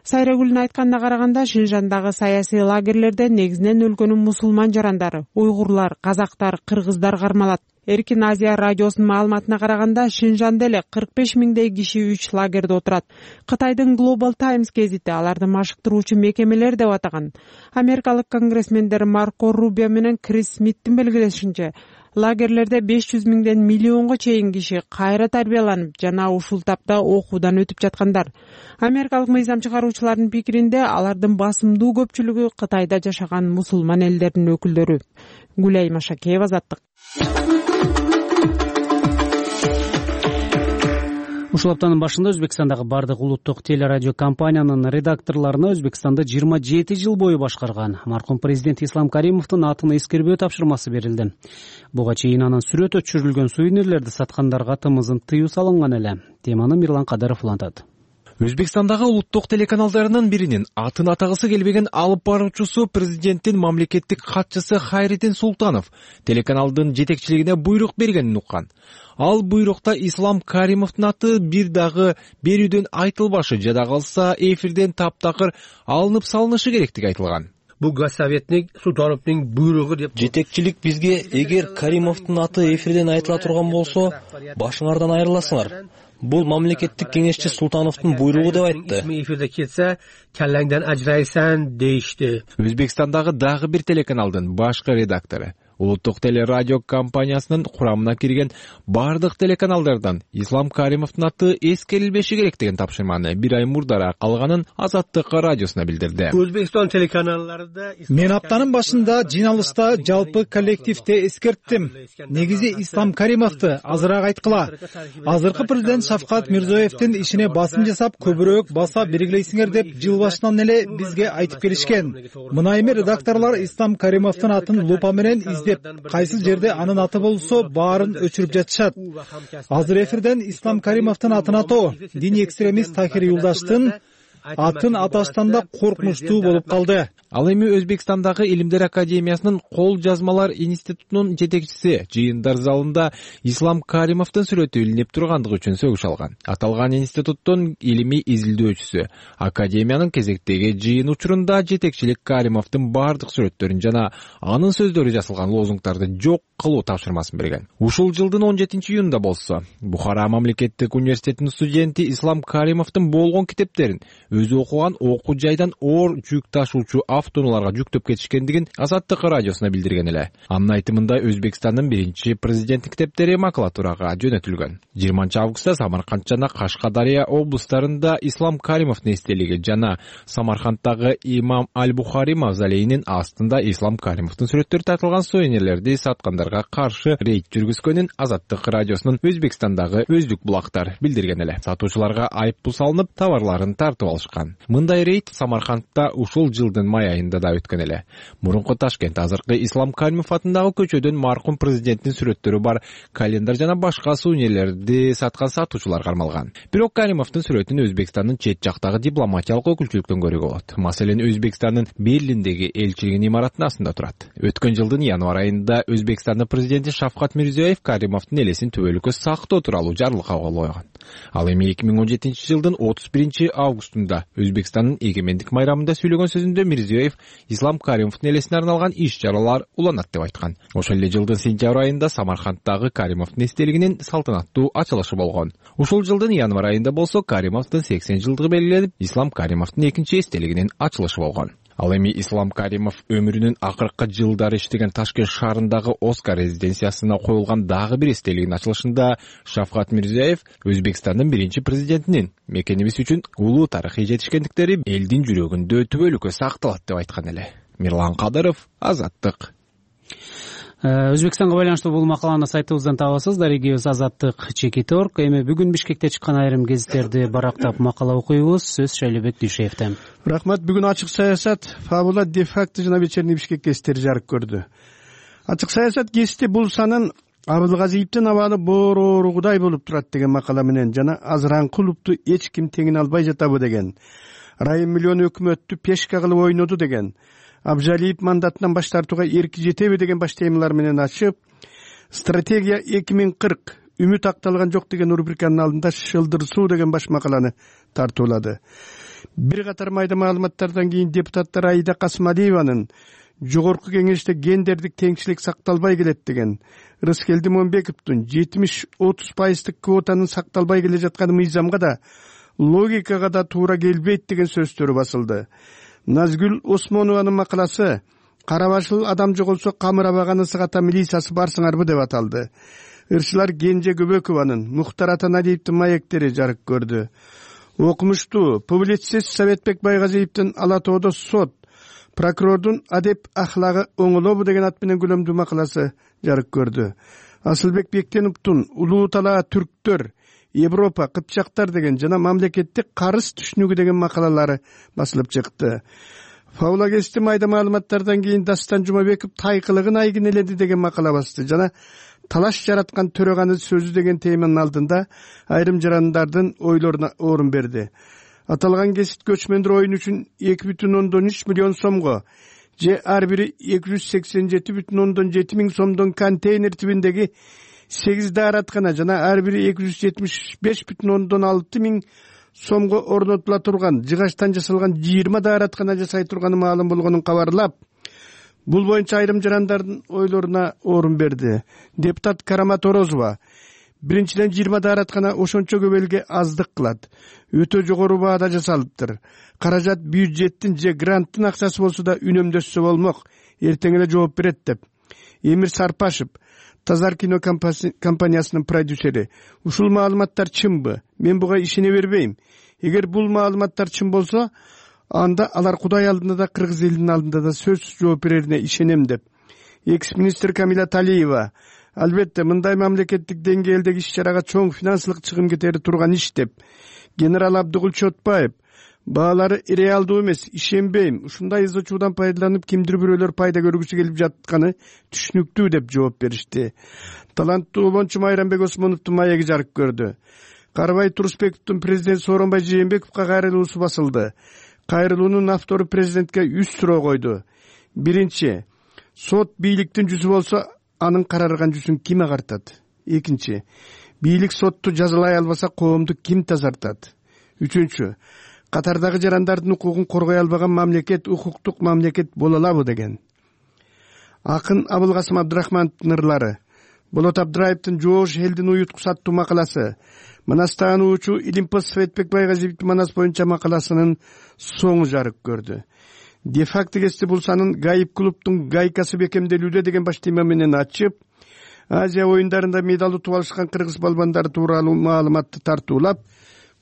Сайрагүлдүн айтканына караганда, Шинжандагы саясий лагерлерде негизинен өлкөнүн мусулман жарандары, уйгурлар, казактар, кыргыздар кармалат. Эркин Азия радиосунун маалыматына караганда, Шинжанда эле 45 миңдей киши 3 лагерде отурат. Кытайдын Global Times гезити аларды машыктыруучу мекемелер деп атаган. Америкалык конгрессмендер Марко Рубио менен Крис Смиттин белгилешинче, лагерлерде 500 миңден миллионго чейин киши кайра тарбияланып жана ушул тапта окуудан өтүп жаткандар. Америкалык мыйзам чыгаруучулардын пикиринде, алардын басымдуу көпчүлүгү Кытайда жашаган мусулман элдердин өкүлдөрү. Гүлай Машакеева, Азаттык. Ушул аптанын башында Өзбекстандагы бардык улуттук телерадио компаниянын редакторлоруна Өзбекстанды 27 жыл бою башкарган маркум президент Ислам Каримовдун атын эскербөө тапшырмасы берилди. Буга чейин анын сүрөтү түшүрүлгөн сувенирлерди саткандарга тымызын тыюу салынган эле. Теманы Мирлан Кадыров улантат. Өзбекстандагы улуттук телеканалдарынын биринин атын атагысы келбеген алып баруучусу президенттин мамлекеттик катчысы Хайриддин Султанов телеканалдын жетекчилигине буйрук бергенин уккан. Ал буйрукта Ислам Каримовдун аты бир дагы берүүдөн айтылбашы, жада калса эфирден таптакыр алынып салынышы керектиги айтылган. Бул Госсоветник Султановдун буйругу деп. Жетекчилик бизге эгер Каримовдун аты эфирден айтыла турган болсо, башыңардан айрыласыңар. Бул мамлекеттик кеңешчи Султановдун буйругу деп айтты. Эфирде кетсе, келлеңден ажырайсан дейишти. Өзбекстандагы дагы бир телеканалдын башкы редактору улуттук телерадио компаниясынын курамына кирген бардык телеканалдардан Ислам Каримовдун аты эскерилбеши керек деген тапшырманы бир ай мурдараак алганын Азаттык радиосуна билдирди. Өзбекстан телеканалдарында мен аптанын башында жыйналышта жалпы коллективде эскерттим. Негизи Ислам Каримовду азыраак айткыла. Азыркы президент Шавкат Мирзиёевдин ишине басым жасап, көбүрөөк баса белгилейсиңер деп жыл башынан эле бизге айтып келишкен. Мына эми редакторлор Ислам Каримовдун атын лупа менен издеп, кайсы жерде анын аты болсо баарын өчүрүп жатышат. Азыр эфирден Ислам Каримовдун атын атоо диний экстремист Тахир Юлдаштын атын аташтан да коркунучтуу болуп калды. Ал эми Өзбекстандагы Илимдер академиясынын кол жазмалар институтунун жетекчиси жыйындар залында Ислам Каримовдун сүрөтү илинип тургандыгы үчүн сөгүш алган. Аталган институттун илимий изилдөөчүсү академиянын кезектеги жыйын учурунда жетекчилик Каримовдун бардык сүрөттөрүн жана анын сөздөрү жазылган лозунгдарды жок кылуу тапшырмасын берген. Ушул жылдын 17-июнунда болсо, Бухара мамлекеттик университетинин студенти Ислам Каримовдун болгон китептерин өзү окуган окуу жайдан оор жүк ташуучу автоунааларга жүктөп кетишкендигин Азаттык радиосуна билдирген эле. Анын айтымында Өзбекстандын биринчи президенттик китептери макулатурага жөнөтүлгөн. 20-августта Самарканд жана Кашкадария облустарында Ислам Каримовдун эстелиги жана Самарканддагы Имам Аль-Бухари мавзолейинин астында Ислам Каримовдун сүрөттөрү тартылган сувенирлерди саткандарга каршы рейд жүргүзгөнүн Азаттык радиосунун Өзбекстандагы өздүк булактар билдирген эле. Сатуучуларга айыппул салынып, товарларын тартып алышкан. Мындай рейд Самаркандда ушул жылдын май айында да өткөн эле. Мурунку Ташкент азыркы Ислам Каримов атындагы көчөдөн маркум президенттин сүрөттөрү бар календар жана башка сувенирлерди саткан сатуучулар кармалган. Бирок Каримовдун сүрөтүн Өзбекстандын чет жактагы дипломатиялык өкүлчүлүктөн көрүүгө болот. Маселен, Өзбекстандын Берлиндеги элчилигинин имаратынын астында турат. Өткөн жылдын январь айында Өзбекстандын президенти Шавкат Мирзиёев Каримовдун элесин төбөлүккө сактоо тууралуу жарлык кабыл койгон. Ал эми 2017 жылдын 31-августунда Өзбекстандын эгемендик майрамында сүйлөгөн сөзүндө Мирзиёев Ислам Каримовдун элесине арналган иш-чаралар уланат деп айткан. Ошол эле жылдын сентябрь айында Самарканддагы Каримовдун эстелигинин салтанаттуу ачылышы болгон. Ушул жылдын январь айында болсо Каримовдун 80 жылдыгы белгиленип, Ислам Каримовдун экинчи эстелигинин ачылышы болгон. Ал эми Ислам Каримов өмүрүнүн акыркы жылдары иштеген Ташкент шаарындагы Оскар резиденциясына коюлган дагы бир эстелигинин ачылышында Шавкат Мирзиёев Өзбекстандын биринчи президентинин мекенибиз үчүн улуу тарыхый жетишкендиктери элдин жүрөгүндө түбөлүккө сакталат деп айткан эле. Мирлан Кадыров, Азаттык. Өзбекстанга байланыштуу бул макаланы сайтыбыздан табасыз. Дарегибиз Азаттык чекит орг. Эми бүгүн Бишкекте чыккан айрым гезиттерди барактап макала окуйбуз. Сөз Шайлебек Дүйшеевден. Рахмат. Бүгүн ачык саясат, Фабула, де-факто жана вечерний Бишкек гезиттери жарык көрдү. Ачык саясат гезити бул санын Абылгазиевдин абалы борооругудай болуп турат деген макала менен жана азыраңкы улутту эч ким теңине албай жатабы деген, Райым миллион өкмөттү пешка кылып ойноду деген, Абжалиев мандатынан баш тартууга эрки жетеби деген баш темалар менен ачып, стратегия 2040 үмүт акталган жок деген рубриканын алдында шылдырсуу деген баш макаланы тартуулады. Бир катар майда маалыматтардан кийин депутаттар Аида Касымалиеванын жогорку кеңеште гендердик теңчилик сакталбай келет деген, Рыскелди Момбековдун 70-30% квотанын сакталбай келе жатканы мыйзамга да логикага да туура келбейт деген сөздөрү басылды. Назгүл Осмонованын макаласы «Карабашыл адам жоголсо камырабаганы сыгата милициясы барсыңарбы» деп аталды. Ырчылар Кенже Көбөкованын, Мухтар Атаналиевдин маектери жарык көрдү. Окумуштуу публицист Советбек Байгазиевдин Ала тоодо сот, прокурордун адеп ахлагы оңолобу деген ат менен көлөмдүү макаласы жарык көрдү. Асылбек Бектеновдун Улуу талаа түрктөр, Европа, Кыпчактар деген жана мамлекеттик карыз түшүнүгү деген макалалары басылып чыкты. Фаула гезити майда маалыматтардан кийин Дастан Жумабеков тайкылыгын айгинеледи деген макала басты жана талаш жараткан төрөганы сөзү деген теманын алдында айрым жарандардын ойлоруна орун берди. Аталган гезит көчмөндөр оюн үчүн 2,3 миллион сомго же ар бири 287,7 миң сомдон контейнер тибиндеги 8 даараткана жана ар бири 275,6 миң сомго орнотула турган жыгачтан жасалган 20 даараткана жасай турганы маалым болгонун кабарлап, бул боюнча айрым жарандардын ойлоруна орун берди. Депутат Карамат Орозова: биринчиден 20 даараткана ошончо көп элге аздык кылат. Өтө жогору баада жасалыптыр. Каражат бюджеттин же гранттын акчасы болсо да үнөмдөшсө болмок. Эртең эле жооп берет деп. Эмир Сарпашев, Тазар кино компаниясынын продюсери: ушул маалыматтар чынбы? Мен буга ишене бербейм. Эгер бул маалыматтар чын болсо, анда алар Кудай алдында да, кыргыз элинин алдында да сөзсүз жооп берерине ишенем деп. Экс-министр Камила Талиева: албетте мындай мамлекеттик деңгээлдеги иш-чарага чоң финансылык чыгым кетери турган иш деп. Генерал Абдыгүл Чотбаев: баалары реалдуу эмес, ишенбейм. Ушундай изочуудан пайдаланып кимдир бирөөлөр пайда көргүсү келип жатканы түшүнүктүү деп жооп беришти. Таланттуу обончу Майрамбек Осмоновдун маеги жарык көрдү. Карыбай Турусбековдун президент Сооронбай Жээнбековго кайрылуусу басылды. Кайрылуунун автору президентке 3 суроо койду. Биринчи, сот бийликтин жүзү болсо, анын карарган жүзүн ким агартат? Экинчи, бийлик сотту жазалай албаса, коомду ким тазартат? Үчүнчү, катардагы жарандардын укугун коргой албаган мамлекет укуктук мамлекет боло алабы деген. Акын Абылкасым Абдрахмановдун ырлары, Болот Абдраевдин Жоош элдин уюткусы аттуу макаласы, Манастан уучу Илимпос Советбек Байгазиевдин Манас боюнча макаласынын соңу жарык көрдү. Де-факто гезити бул санын Гаип клубдун гайкасы бекемделүүдө деген баш тема менен ачып, Азия оюндарында медал утуп алышкан кыргыз балбандары тууралуу маалыматты тартуулап,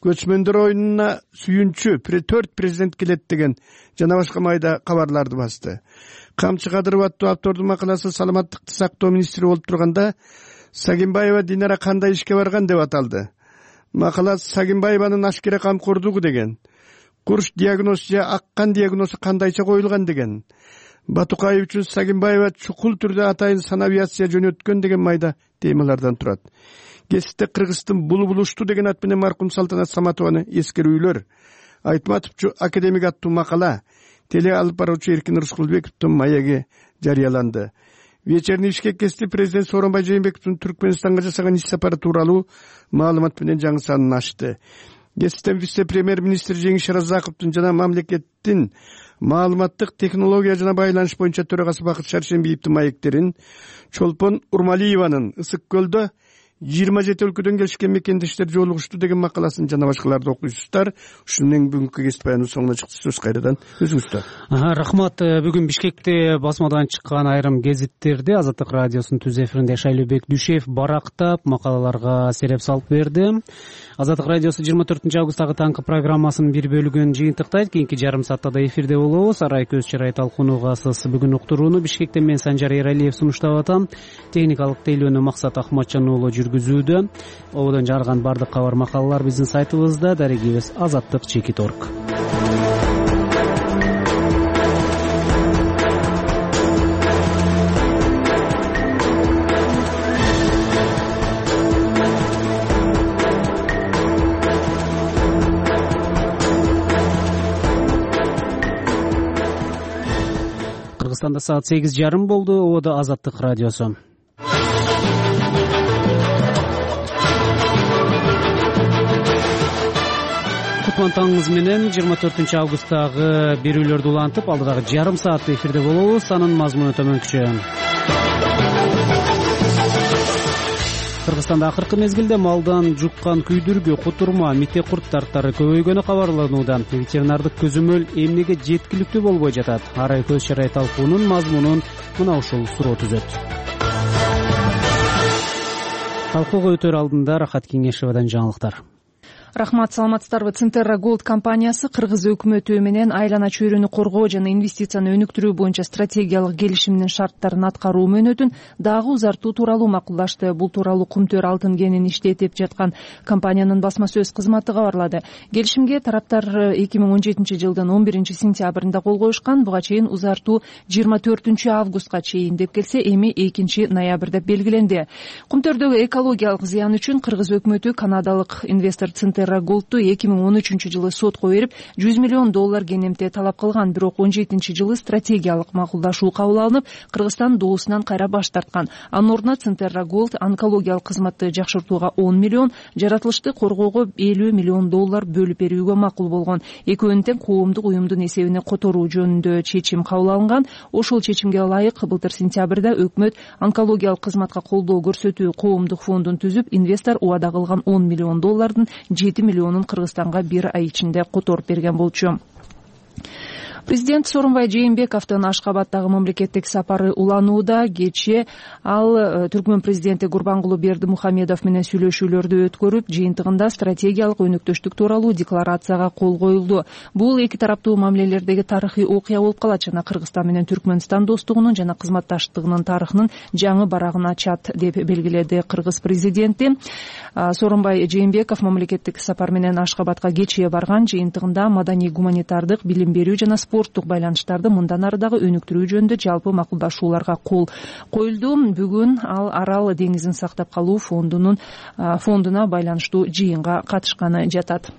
көчмөндөр оюнуна сүйүнчү 4 президент келет деген жана башка майда кабарларды басты. Камчы Кадыров аттуу автордун макаласы саламаттыкты сактоо министри болуп турганда Сагимбаева Динара кандай ишке барган деп аталды. Макала Сагимбаеванын ашкере камкордугу деген, курч диагноз же аккан диагнозу кандайча коюлган деген, Батукаев үчүн Сагимбаева чукул түрдө атайын санавиация жөнөткөн деген майда темалардан турат. Гезитте Кыргыздын булушту деген ат менен маркум Салтанат Саматованы эскерүүлөр, Айтматовчу академик аттуу макала, теле алып баруучу Эркин Рыскулбековдун маеги жарыяланды. Вечерний Бишкек гезити президент Сооронбай Жээнбековдун Түркмөнстанга жасаган иш сапары тууралуу маалымат менен жаңы санын ачты. Гезиттен вице-премьер-министр Жеңиш Разаковдун жана мамлекеттин маалыматтык технология жана байланыш боюнча төрагасы Бакыт Шаршембиевдин маектерин, Чолпон Урмалиеванын Ысык көлдө 27 өлкөдөн келишкен мекендештер жолугушту деген макаласын жана башкаларды окуйсуздар. Ушунун бүгүнкү кесип баяныбыз соңуна чыкты. Сөз кайрадан өзүңүздө. Рахмат. Бүгүн Бишкекте басмадан чыккан айрым гезиттерди Азаттык радиосунун түз эфиринде Шайлообек Дүйшев барактап макалаларга сереп салып берди. Азаттык радиосу 24 августтагы таңкы программасынын бир бөлүгүн жыйынтыктайт. Кийинки жарым саатта да эфирде болобуз. Арай көз чырай талкууну асыз бүгүн уктурууну Бишкектен мен Санжар Эралиев сунуштап атам. Техникалык тейлөөнү Максат Ахматжан уулу жүргүзүүдө. Ободон жарган бардык кабар макалалар биздин сайтыбызда, дарегибиз azattik.org. Кыргызстанда саат 8:30 болду. Ободо Азаттык радиосу. Кутман таңыңыз менен 24 августтагы берүүлөрдү улантып, алдыдагы жарым саатта эфирде болобуз. Анын мазмуну төмөнкүчө. Кыргызстанда акыркы мезгилде малдан жуккан күйдүргү, кутурма, мите курттары көбөйгөнү кабарланууда. Ветеринардык көзөмөл эмнеге жеткиликтүү болбой жатат? Арай көз чырай талкуунун мазмунун мына ушул суроо түзөт. Талкууга өтөр алдында Рахат Кеңешевадан жаңылыктар. Рахмат, саламатсыздарбы. Центерра Голд компаниясы Кыргыз өкмөтү менен айлана чөйрөнү коргоо жана инвестицияны өнүктүрүү боюнча стратегиялык келишимдин шарттарын аткаруу мөөнөтүн дагы узартуу тууралуу макулдашты. Бул тууралуу Кумтөр алтын кенин иштетип жаткан компаниянын басма сөз кызматы кабарлады. Келишимге тараптар 2017 жылдын 11 сентябрында кол коюшкан. Буга чейин узартуу 24 августка чейин деп келсе, эми 2 ноябрда белгиленди. Кумтөрдөгү экологиялык зыян үчүн Кыргыз өкмөтү канадалык инвестор Центерра Голдту 2013 жылы сотко берип, $100 миллион кенемте талап кылган. Бирок 17 жылы стратегиялык макулдашуу кабыл алынып, Кыргызстан доосунан кайра баш тарткан. Анын ордуна Центерра Голд онкологиялык кызматты жакшыртууга 10 миллион, жаратылышты коргоого $50 миллион бөлүп берүүгө макул болгон. Экөөнүн тең коомдук уюмдун эсебине которуу жөнүндө чечим кабыл алынган. Ошол чечимге ылайык былтыр сентябрда өкмөт онкологиялык кызматка колдоо көрсөтүү коомдук фондун түзүп, инвестор убада кылган $10 миллион 7 миллионун Кыргызстанга бир ай ичинде которуп берген болчу. Президент Сооронбай Жээнбековдун Ашкабадтагы мамлекеттик сапары уланууда. Кечээ ал Түркмөн президенти Гурбангулы Бердимухамедов менен сүйлөшүүлөрдү өткөрүп, жыйынтыгында стратегиялык өнүктүштүк тууралуу декларацияга кол коюлду. Бул эки тараптуу мамилелердеги тарыхый окуя болуп калат жана Кыргызстан менен Түркмөнстан достугунун жана кызматташтыгынын тарыхынын жаңы барагын ачат деп белгиледи Кыргыз президенти. Сооронбай Жээнбеков мамлекеттик сапар менен Ашкабадка кечээ барган. Жыйынтыгында маданий гуманитардык, билим берүү жана спорттук байланыштарды мындан ары дагы өнүктүрүү жөнүндө жалпы макулдашууларга кол коюлду. Бүгүн ал Арал деңизин сактап калуу фондуна байланыштуу жыйынга катышканы жатат.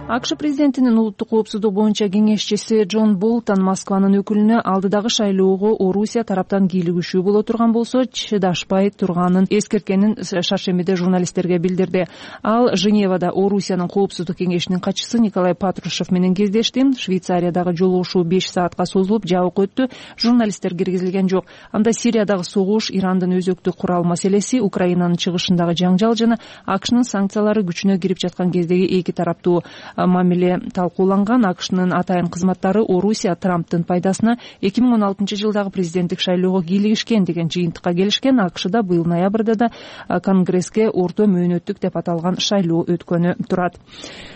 АКШ президентинин улуттук коопсуздук боюнча кеңешчиси Джон Болтон Москванын өкүлүнө алдыдагы шайлоого Орусия тараптан кийлигишүү боло турган болсо чыдашпай турганын эскерткенин шаршембиде журналисттерге билдирди. Ал Женевада Орусиянын коопсуздук кеңешинин катчысы Николай Патрушев менен кездешти. Швейцариядагы жолугушуу 5 саатка созулуп, жабык өттү. Журналисттер киргизилген жок. Анда Сириядагы согуш, Ирандын өзөктүк курал маселеси, Украинанын чыгышындагы жаңжал жана АКШнын санкциялары күчүнө кирип жаткан кездеги эки тараптуу мамиле талкууланган. АКШнын атайын кызматтары Орусия Трамптын пайдасына 2016 жылдагы президенттик шайлоого кийлигишкен деген жыйынтыкка келишкен. АКШда быйыл ноябрда да Конгресске орто мөөнөттүк деп аталган шайлоо өткөнү турат.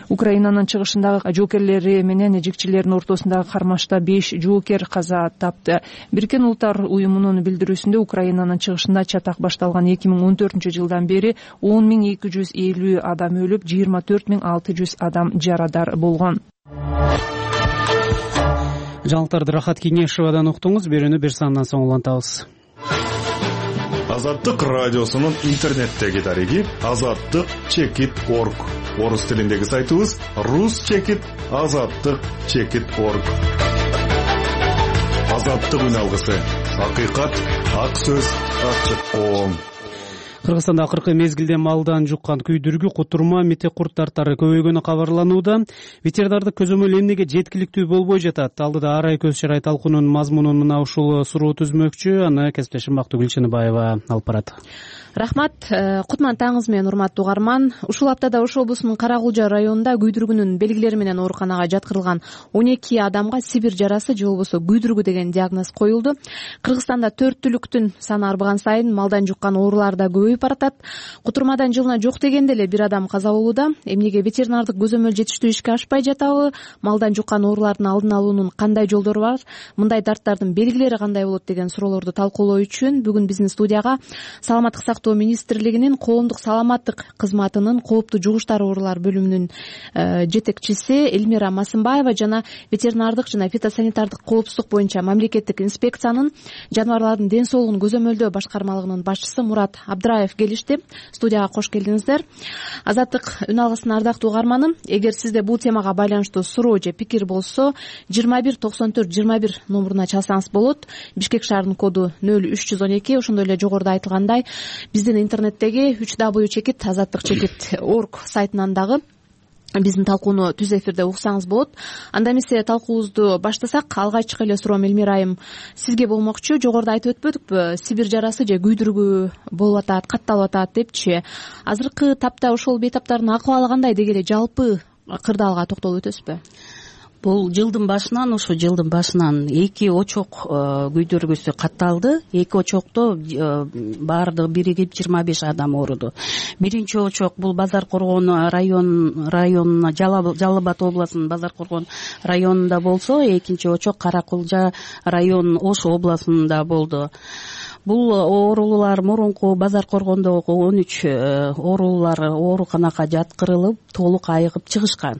Украинанын чыгышындагы жоокерлери менен жикчилердин ортосундагы кармашта 5 жоокер каза тапты. Бириккен Улуттар уюмунун билдирүүсүндө Украинанын чыгышында чатак башталган 2014 жылдан бери 10.250 адам өлүп, 24.600 адам жарадар болгон. Жаңылыктарды Рахат Кеңешевадан уктуңуз. Берүүнү бир сандан соң улантабыз. Азаттык радиосунун интернеттеги дареги azattik.org. Орус тилиндеги сайтыбыз rus-azattik.org. Азаттык үн алгысы. Акыйкат, ак сөз, ачык оң. Кыргызстанда акыркы мезгилде малдан жуккан күйдүргү, кутурма, митек курт тарттары көбөйгөнү кабарланууда. Ветеринардык көзөмөл эмнеге жеткиликтүү болбой жатат? Алдыда ар ай көз чарай талкуунун мазмунун мына ушул суроо түзмөкчү. Аны кесиптешим Бактыгүл Чыныбаева алып барат. Рахмат. Кутман таңыңыз менен, урматтуу угарман. Ушул аптада Ош облусунун Кара-Кулжа районунда күйдүргүнүн белгилери менен ооруканага жаткырылган 12 адамга сибир жарасы же болбосо күйдүргү деген диагноз коюлду. Кыргызстанда 4 түлүктүн саны арбаган сайын малдан жуккан оорулар да көбөйүп баратат. Кутурмадан жылына жок дегенде эле 1 адам каза болууда. Эмнеге ветеринардык көзөмөл жетиштүү ишке ашпай жатабы? Малдан жуккан оорулардын алдын алуунун кандай жолдору бар? Мындай дарттардын белгилери кандай болот деген суроолорду талкуулоо үчүн бүгүн биздин студияга Саламаттык сактоо министрлигинин коомдук саламаттык кызматынын кооптуу жугуштар оорулар бөлүмүнүн жетекчиси Элмира Масымбаева жана ветеринардык жана фитосанитардык коопсуздук боюнча мамлекеттик инспекциянын жаныбарлардын ден соолугун көзөмөлдөө башкармалыгынын башчысы Мурат Абдыраев келишти. Студияга кош келдиңиздер. Азаттык үн алгысына ардактуу угарманым, эгер сизде бул темага байланыштуу суроо же пикир болсо 219421 номуруна чалсаңыз болот. Бишкек шаарынын коду 0312. Ошондой эле жогоруда айтылгандай биздин интернеттеги www.azattik.org сайтынан дагы биздин талкууну түз эфирде уксаңыз болот. Анда эмесе талкуубузду баштасак, алгачкы эле суроом Элмира айым сизге болмокчу. Жогоруда айтып өтпөдүкпү, сибир жарасы же күйдүргү болуп атат, катталып атат депчи. Азыркы тапта ошол бейтаптардын акыбалы кандай деги эле жалпы кырдаалга токтолуп өтөсүзбү? Бул жылдын башынан 2 очок күйдүргүсү катталды. 2 очокто баардыгы биригип 25 адам ооруду. Биринчи очок бул Базар Коргон районуна, Жалал Абад областынын Базар Коргон районунда болсо, экинчи очок Кара-Кулжа районунун Ош областында болду. Бул оорулуулар мурунку Базар Коргондогу 13 оорулуулар ооруканага жаткырылып, толук айыгып чыгышкан.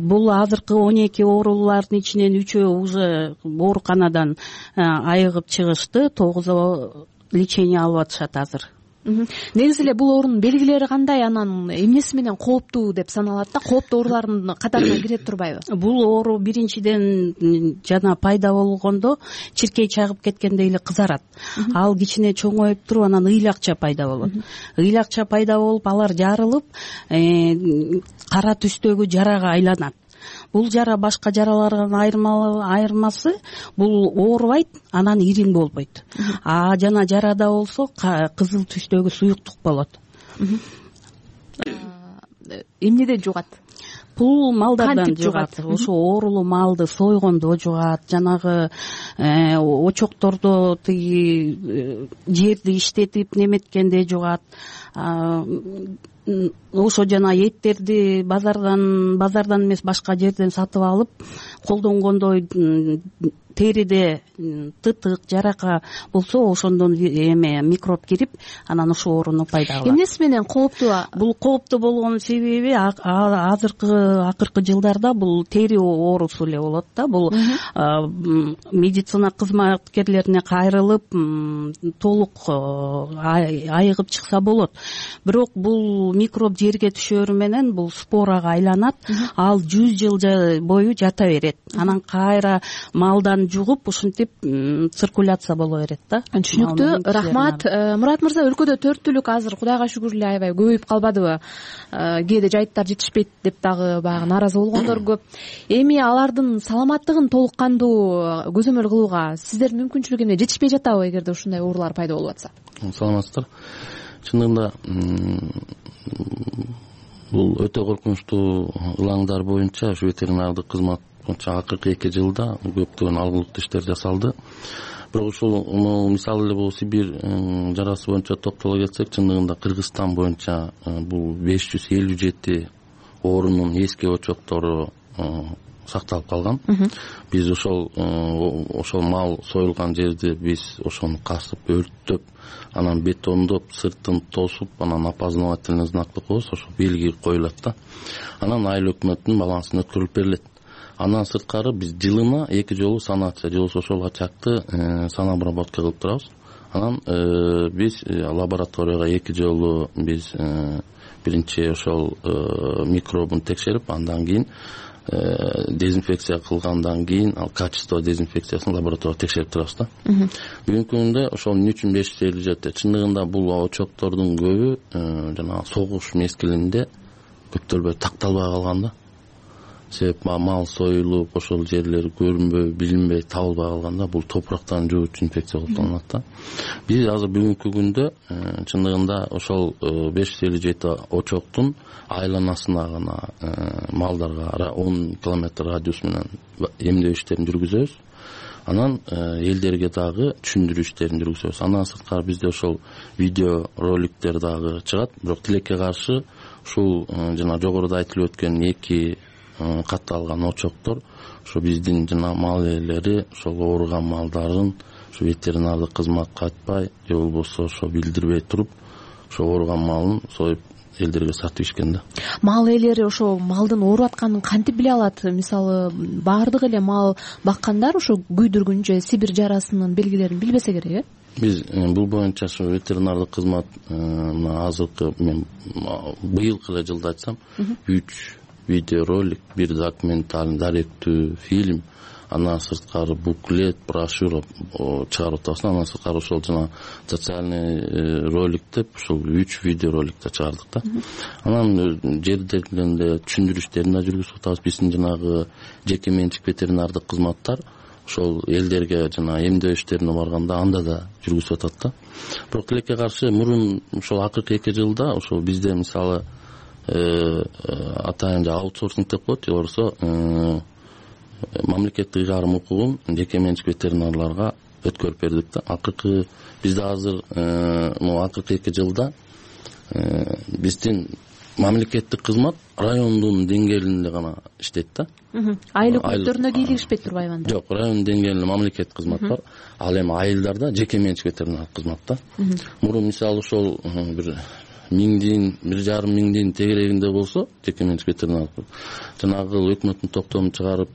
Бул азыркы 12 оорулуулардын ичинен 3-өө уже ооруканадан айыгып чыгышты, 9-о лечение алып атышат азыр. Негизи эле бул оорунун белгилери кандай, анан эмнеси менен кооптуу деп саналат да? Кооптуу оорулардын катарына кире турбайбы? Бул оору биринчиден жана пайда болгондо чиркей чагып кеткендей эле кызарат. Ал кичине чоңоюп туруп, анан ыйлакча пайда болот. Ыйлакча пайда болуп, алар жарылып, кара түстөгү жарага айланат. Бул жара башка жаралардан айырмасы, бул оорубайт, анан ирин болбойт. Жана жарада болсо кызыл түстөгү суюктук болот. Эмнеден жугат? Бул малдардан жугат. Ошо оорулуу малды сойгондо жугат, жанагы очоктордо тиги жерди иштетип неметкенде жугат. Ошо жана эттерди базардан эмес башка жерден сатып алып колдонгондо териде тытык, жарака болсо ошондон микроб кирип, анан ошо ооруну пайда кылат. Эмнеси менен кооптуу? Бул кооптуу болгонун себеби акыркы жылдарда бул тери оорусу эле болот да. Бул медицина кызматкерлерине кайрылып, толук айыгып чыкса болот. Бирок бул микроб жерге түшөрү менен бул спорага айланат, ал 100 жыл бою жата берет. Анан кайра малдан жугуп, ушинтип циркуляция боло берет да. Түшүнүктүү. Рахмат. Мурат мырза, өлкөдө 4 түлүк азыр Кудайга шүгүр эле аябай көбөйүп калбадыбы? Кээде жайыттар жетишпейт деп дагы баягы нааразы болгондор көп. Эми алардын саламаттыгын толук кандуу көзөмөл кылууга сиздердин мүмкүнчүлүгү эмне, жетишпей жатабы эгерде ушундай оорулар пайда болуп атса? Саламатсыздар. Чындыгында бул өтө коркунучтуу ылаңдар боюнча ушу ветеринардык кызмат боюнча акыркы 2 жылда көптөгөн алгылыктуу иштер жасалды. Бирок ушул мисалы эле бул Сибир жарасы боюнча токтоло кетсек, чындыгында Кыргызстан боюнча бул 557 оорунун эски очоктору сакталып калган. Биз ошол мал союлган жерди биз ошону касып, өрттөп, анан бетондоп, сыртын тосуп, анан опознавательный знакты коебуз, ошо белги коюлат да. Анан айыл өкмөттүн балансына өткөрүлүп берилет. Андан сырткары биз жылына 2 жолу санация же болбосо ошол ачакты санобработка кылып турабыз. Анан биз лабораторияга 2 жолу биз биринчи ошол микробун текшерип, андан кийин дезинфекция кылгандан кийин ал качество дезинфекциясын лабораторияда текшерип турабыз да. Бүгүнкү күндө ошол эмне үчүн 550 жетти? Чындыгында бул очоктордун көбү жанагы согуш мезгилинде көптөлбөй такталбай калган да. Себеп мал союлуп, ошол жерлер көрүнбөй, билинбей, табылбай калганда бул топурактан жугуучу инфекция болуп калат да. Биз азыр бүгүнкү күндө чындыгында ошол 557 очоктун айланасына гана малдарга 10 километр радиус менен эмдөө иштерин жүргүзөбүз. Анан элдерге дагы түшүндүрүү иштерин жүргүзөбүз. Андан сырткары бизде ошол видео роликтер дагы чыгат. Бирок тилекке каршы ушул жана жогоруда айтылып өткөн 2 катталган очоктор ошо биздин жана мал ээлери ошол ооруган малдарын ушу ветеринардык кызматка айтпай же болбосо ошо билдирбей туруп ошо ооруган малын союп элдерге сатып ишкен да. Мал ээлери ошо малдын ооруп атканын кантип биле алат? Мисалы баардык эле мал баккандар ошо күйдүргүн же Сибирь жарасынын белгилерин билбесе керек, Биз бул боюнча ушу ветеринардык кызмат азыркы мен быйылкы эле жылда айтсам 3 видеоролик, 1 документальный даректүү фильм, андан сырткары буклет, брошюра чыгарып атабыз. Андан сырткары ошол жана социальный ролик деп ушул 3 видеороликти чыгардык да. Анан жердегилерде түшүндүрүү иштерин да жүргүзүп атабыз. Биздин жанагы жеке менчик ветеринардык кызматтар ошол элдерге жана эмдөө иштерине барганда анда да жүргүзүп атат да. Бирок тилекке каршы мурун ошол акыркы 2 жылда ошол бизде мисалы атайын аутсорсинг деп коет, же болбосо мамлекеттик ыйгарым укугун жеке менчик ветеринарларга өткөрүп бердик да. Акыркы бизде азыр акыркы 2 жылда биздин мамлекеттик кызмат райондун деңгээлинде гана иштейт да. Айлык өктөрүнө кийлигишпейт турбайбы анда? Жок, район деңгээлинде мамлекеттик кызмат бар. Ал эми айылдарда жеке менчик ветеринардык кызмат да. Мурун мисалы ошол бир 1,5 миңдин тегерегинде болсо жеке менчик ветеринардык жанагы өкмөттүн токтомун чыгарып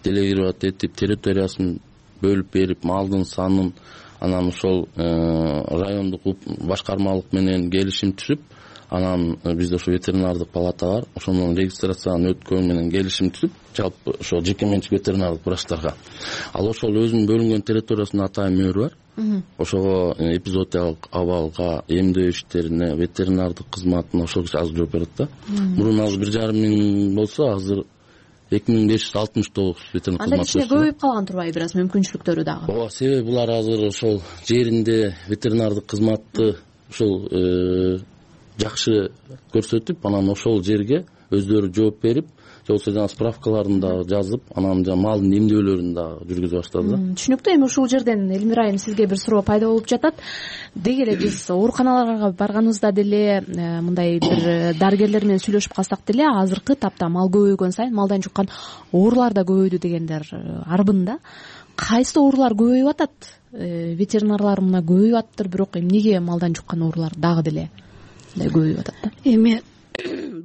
делегировать этип территориясын бөлүп берип малдын санын анан ошол райондук башкармалык менен келишим түзүп анан бизде ошо ветеринардык палата бар, ошонун регистрацияны өткөн менен келишим түзүп жалпы ошо жеке менчик ветеринардык врачтарга ал ошол өзүнүн бөлүнгөн территориясында атайын мөр бар. Ошого эпизоотиялык абалга, эмдөө иштерине, ветеринардык кызматына ошол киши азыр жооп берет да. Мурун азыр 1,5 миң болсо, азыр 2569 ветеринардык кызмат. Анда кичине көбөйүп калган турбайбы бир аз мүмкүнчүлүктөрү дагы? Ооба, себеби булар азыр ошол жеринде ветеринардык кызматты ошол жакшы көрсөтүп, анан ошол жерге өздөрү жооп берип, же болбосо жана справкаларын да жазып, анан жана малдын эмдөөлөрүн да жүргүзүп баштады да. Түшүнүктүү. Эми ушул жерден Элмира айым сизге бир суроо пайда болуп жатат. Деги эле биз ооруканаларга барганыбызда деле мындай бир дарыгерлер менен сүйлөшүп калсак деле азыркы тапта мал көбөйгөн сайын малдан жуккан оорулар да көбөйдү дегендер арбын да. Кайсы оорулар көбөйүп атат? Ветеринарлар мына көбөйүп атыптыр, бирок эмнеге малдан жуккан оорулар дагы деле көбөйүп атат да? Эми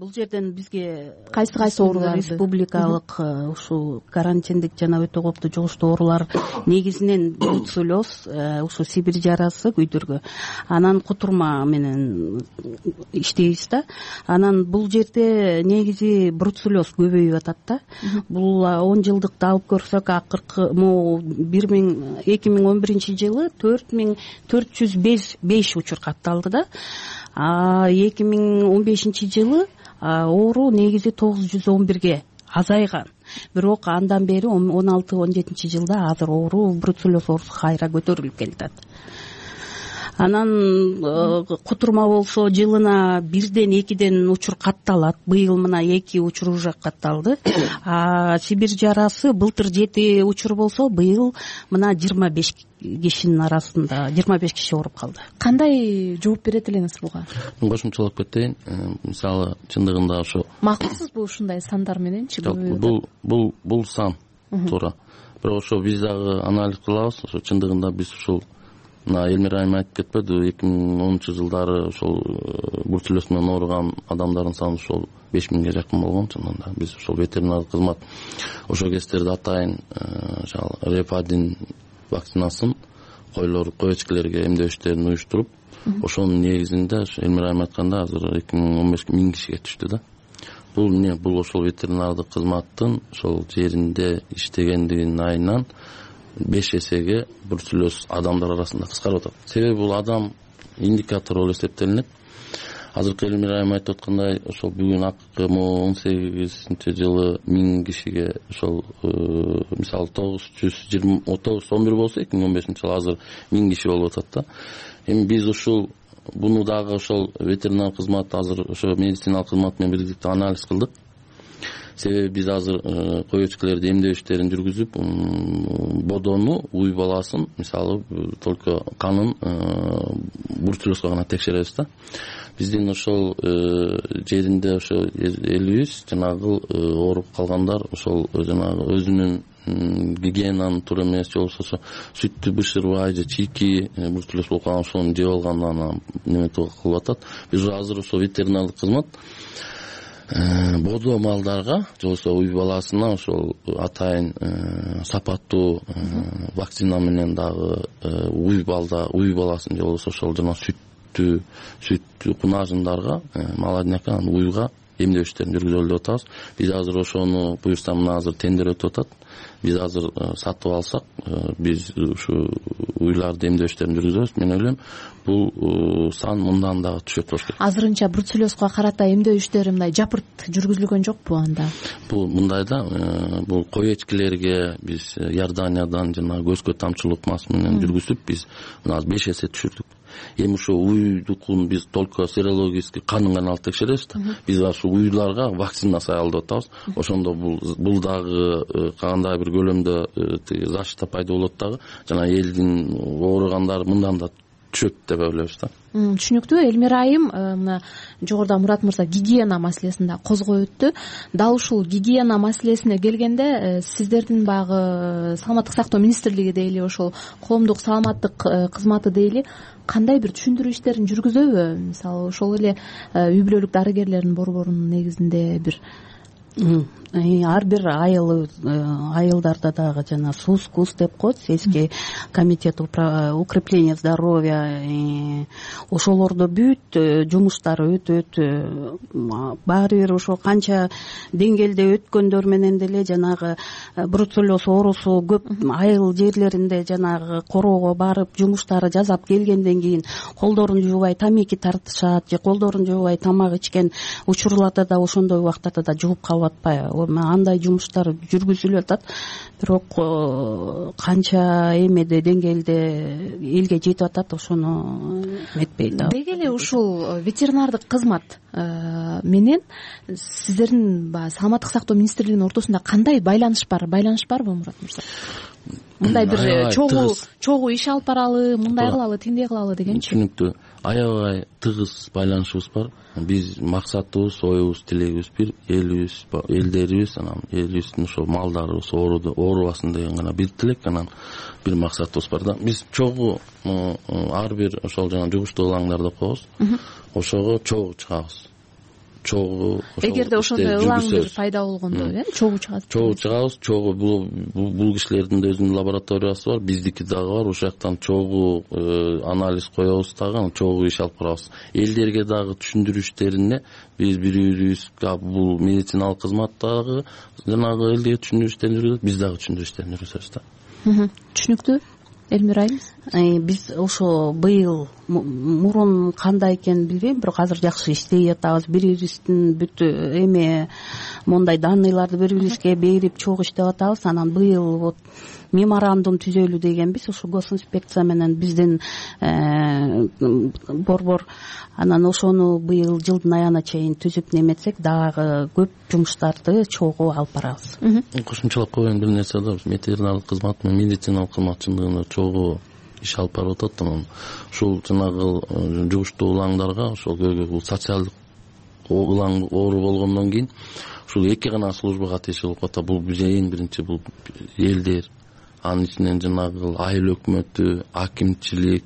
бул жерден бизге кайсы оорулар республикалык ушул карантиндик жана өтө кооптуу жугуштуу оорулар негизинен бруцеллез, ушу Сибирь жарасы күйдүргү, анан кутурма менен иштейбиз да. Анан бул жерде негизи бруцеллез көбөйүп атат да. Бул 10 жылдыкты алып көрсөк, акыркы 2011 жылы 4405 учур катталды да. 2015 жылы оору негизи 911ге азайган. Бирок андан бери 16-17 жылда азыр оору бруцеллез оорусу кайра көтөрүлүп келатат. Анан кутурма болсо жылына 1-2 учур катталат. Быйыл мына 2 учур уже катталды. Сибирь жарасы былтыр 7 учур болсо, быйыл мына 25 кишинин арасында 25 киши ооруп калды. Кандай жооп берет элеңиз буга? Кошумчалап кетейин. Мисалы чындыгында ошо макулсузбу ушундай сандар мененчи? Бул сан туура. Бирок ошо биз дагы анализ кылабыз. Ошо чындыгында биз ушул мына Элмира айым айтып кетпеди, 2010 жылдары ошол бруцеллез менен ооруган адамдардын саны ошол 5000ге жакын болгон. Чындыгында биз ошол ветеринардык кызмат ошол кездерде атайын реп-1 вакцинасын койочкелерге эмдөө иштерин уюштуруп, ошонун негизинде Элмира айым айтканда азыр 2015 1000 кишиге түштү да. бул эмне, бул ошол ветеринардык кызматтын ошол жеринде иштегендигинин айынан 5 эсеге бруцеллез адамдар арасында кыскарып атат. Себеби бул адам индикатор болуп эсептелинет. Азыркы Элмира айым айтып аткандай, ошол бүгүн акыркы 18-жылы 1000 кишиге ошол мисалы 911 болсо 2015-жылы азыр 1000 киши болуп атат да. Эми биз ушул буну дагы ошол ветеринар кызмат азыр ошо медициналык кызмат менен бирдикте анализ кылдык. Себеби биз азыр коечкалерди эмдөө иштерин жүргүзүп, бодону, уй баласын, мисалы только канын бруцеллезго гана текшеребиз да. Биздин ошол жеринде ошо элибиз жанагы ооруп калгандар ошол жанагы өзүнүн гигиенанын туура эмес, же болбосо ошо сүттү бышырбай же чийки бруцеллез болуп калган ошону жеп алгандан неме кылып атат. Биз азыр ошо ветеринардык кызмат бодо малдарга же болбосо уй баласына ошол атайын сапаттуу вакцина менен дагы уй баласын же болбосо ошол жана сүт кунажындарга молодняка уйга эмдөө иштерин жүргүзөлү деп атабыз. Биз азыр ошону буюрса мына азыр тендер өтүп атат. Биз азыр сатып алсак, биз ушу уйларды эмдөө иштерин жүргүзөбүз. Мен ойлойм, бул сан мындан дагы түшөт болуш керек. Азырынча бруцеллезго карата эмдөө иштери мындай жапырт жүргүзүлгөн жокпу анда? Бул мындай да, бул коечкилерге биз Иорданиядан жана көзгө тамчылык мас менен жүргүзүп, биз мына 5 эсе түшүрдүк. Эми ошо уйдукун биз только серологический канын гана алып текшеребиз да. Биз ошо уйларга вакцина сая алып атабыз. Ошондо бул дагы кандай бир көлөмдө защита пайда болот дагы. Жана элдин ооругандары мындан да түшөт деп ойлойбуз да. Түшүнүктүү. Элмира айым мына жогоруда Мурат мырза гигиена маселесин да козгой өттү. Дал ушул гигиена маселесине келгенде сиздердин багы саламаттык сактоо министрлиги дейли, ошол коомдук саламаттык кызматы дейли кандай бир түшүндүрүү иштерин жүргүзөбү? Мисалы ошол эле үй бүлөлүк дарыгерлердин борборунун негизинде бир ар бир айылдарда дагы жана СУС, КУС деп коет, сельский комитет укрепления здоровья, ошолордо бүт жумуштар өтөт. Баары бир ошо канча деңгээлде өткөндөр менен деле жанагы бруцеллез оорусу көп айыл жерлеринде жанагы короого барып жумуштары жасап келгенден кийин колдорун жуубай тамеки тартышат же колдорун жуубай тамак ичкен учурларда да ошондой убактарда да жууп калып атпайбы? Андай жумуштар жүргүзүлүп атат, бирок канча эмеде деңгээлде элге жетип атат ошону эметпейт. Деги эле ушул ветеринардык кызмат менен сиздердин саламаттык сактоо министрлигинин ортосунда кандай байланыш барбы Мурат мырза? Мындай бир чогуу иш алып баралы, мындай кылалы, тиндей кылалы дегенчи. Түшүнүктүү. Аябай тыгыз байланышыбыз бар. Биз максатыбыз, оюбуз, тилегибиз бир, элдерибиз, анан элибиздин ошо малдарыбыз оорубасын деген гана бир тилек, анан бир максатыбыз бар да. Биз чогуу ар бир ошол жана жугуштуу ылаңдар деп коебуз. Ошого чогуу чыгабыз. Эгерде ошондой ылаң бир пайда болгондо, чогуу чыгат. Чогуу чыгабыз. Чогуу бул кишилердин да өзүнүн лабораториясы бар, биздики дагы бар. Ошол жактан чогуу анализ коебуз дагы, чогуу иш алып барабыз. Элдерге дагы түшүндүрүү иштерине биз бири-бирибизге бул медициналык кызматтагы жанагы элге түшүндүрүү иштерин жүргүзөбүз, биз дагы түшүндүрүү иштерин жүргүзөбүз да. Түшүнүктүү. Элмира айым, биз ошо быйыл мурун кандай экенин билбейм, бирок азыр жакшы иштей атабыз. Бири-бирибиздин бүт мондай данныйларды бири-бирибизге берип чогуу иштеп атабыз. Анан быйыл вот меморандум түзөлү дегенбиз, ошо госинспекция менен биздин борбор. Анан ошону быйыл жылдын аягына чейин түзүп неметсек, дагы көп жумуштарды чогуу алып барабыз. Кошумчалап койгон бир нерсе да, ветеринардык кызмат менен медициналык кызмат чындыгында чогуу иш алып барып атат. Анан ушул жанагы жугуштуу улаңдарга, ошол бул социалдык улаң оору болгондон кийин ушул эки гана службага тиешелүү болуп атат. Бул биз эң биринчи бул элдер, анын ичинен жанагы айыл өкмөтү, акимчилик,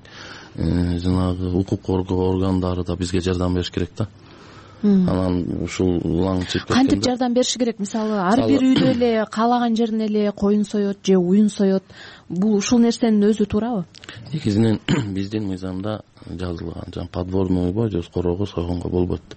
жанагы укук коргоо органдары да бизге жардам бериш керек да. Анан ушул улаң чыгып кеткенде кантип жардам бериши керек? Мисалы ар бир үйдө эле каалаган жерине эле коюн соет же уюн соет. Бул ушул нерсенин өзү туурабы? Негизинен биздин мыйзамда жазылган, жана подворный уйго же короого сойгонго болбойт.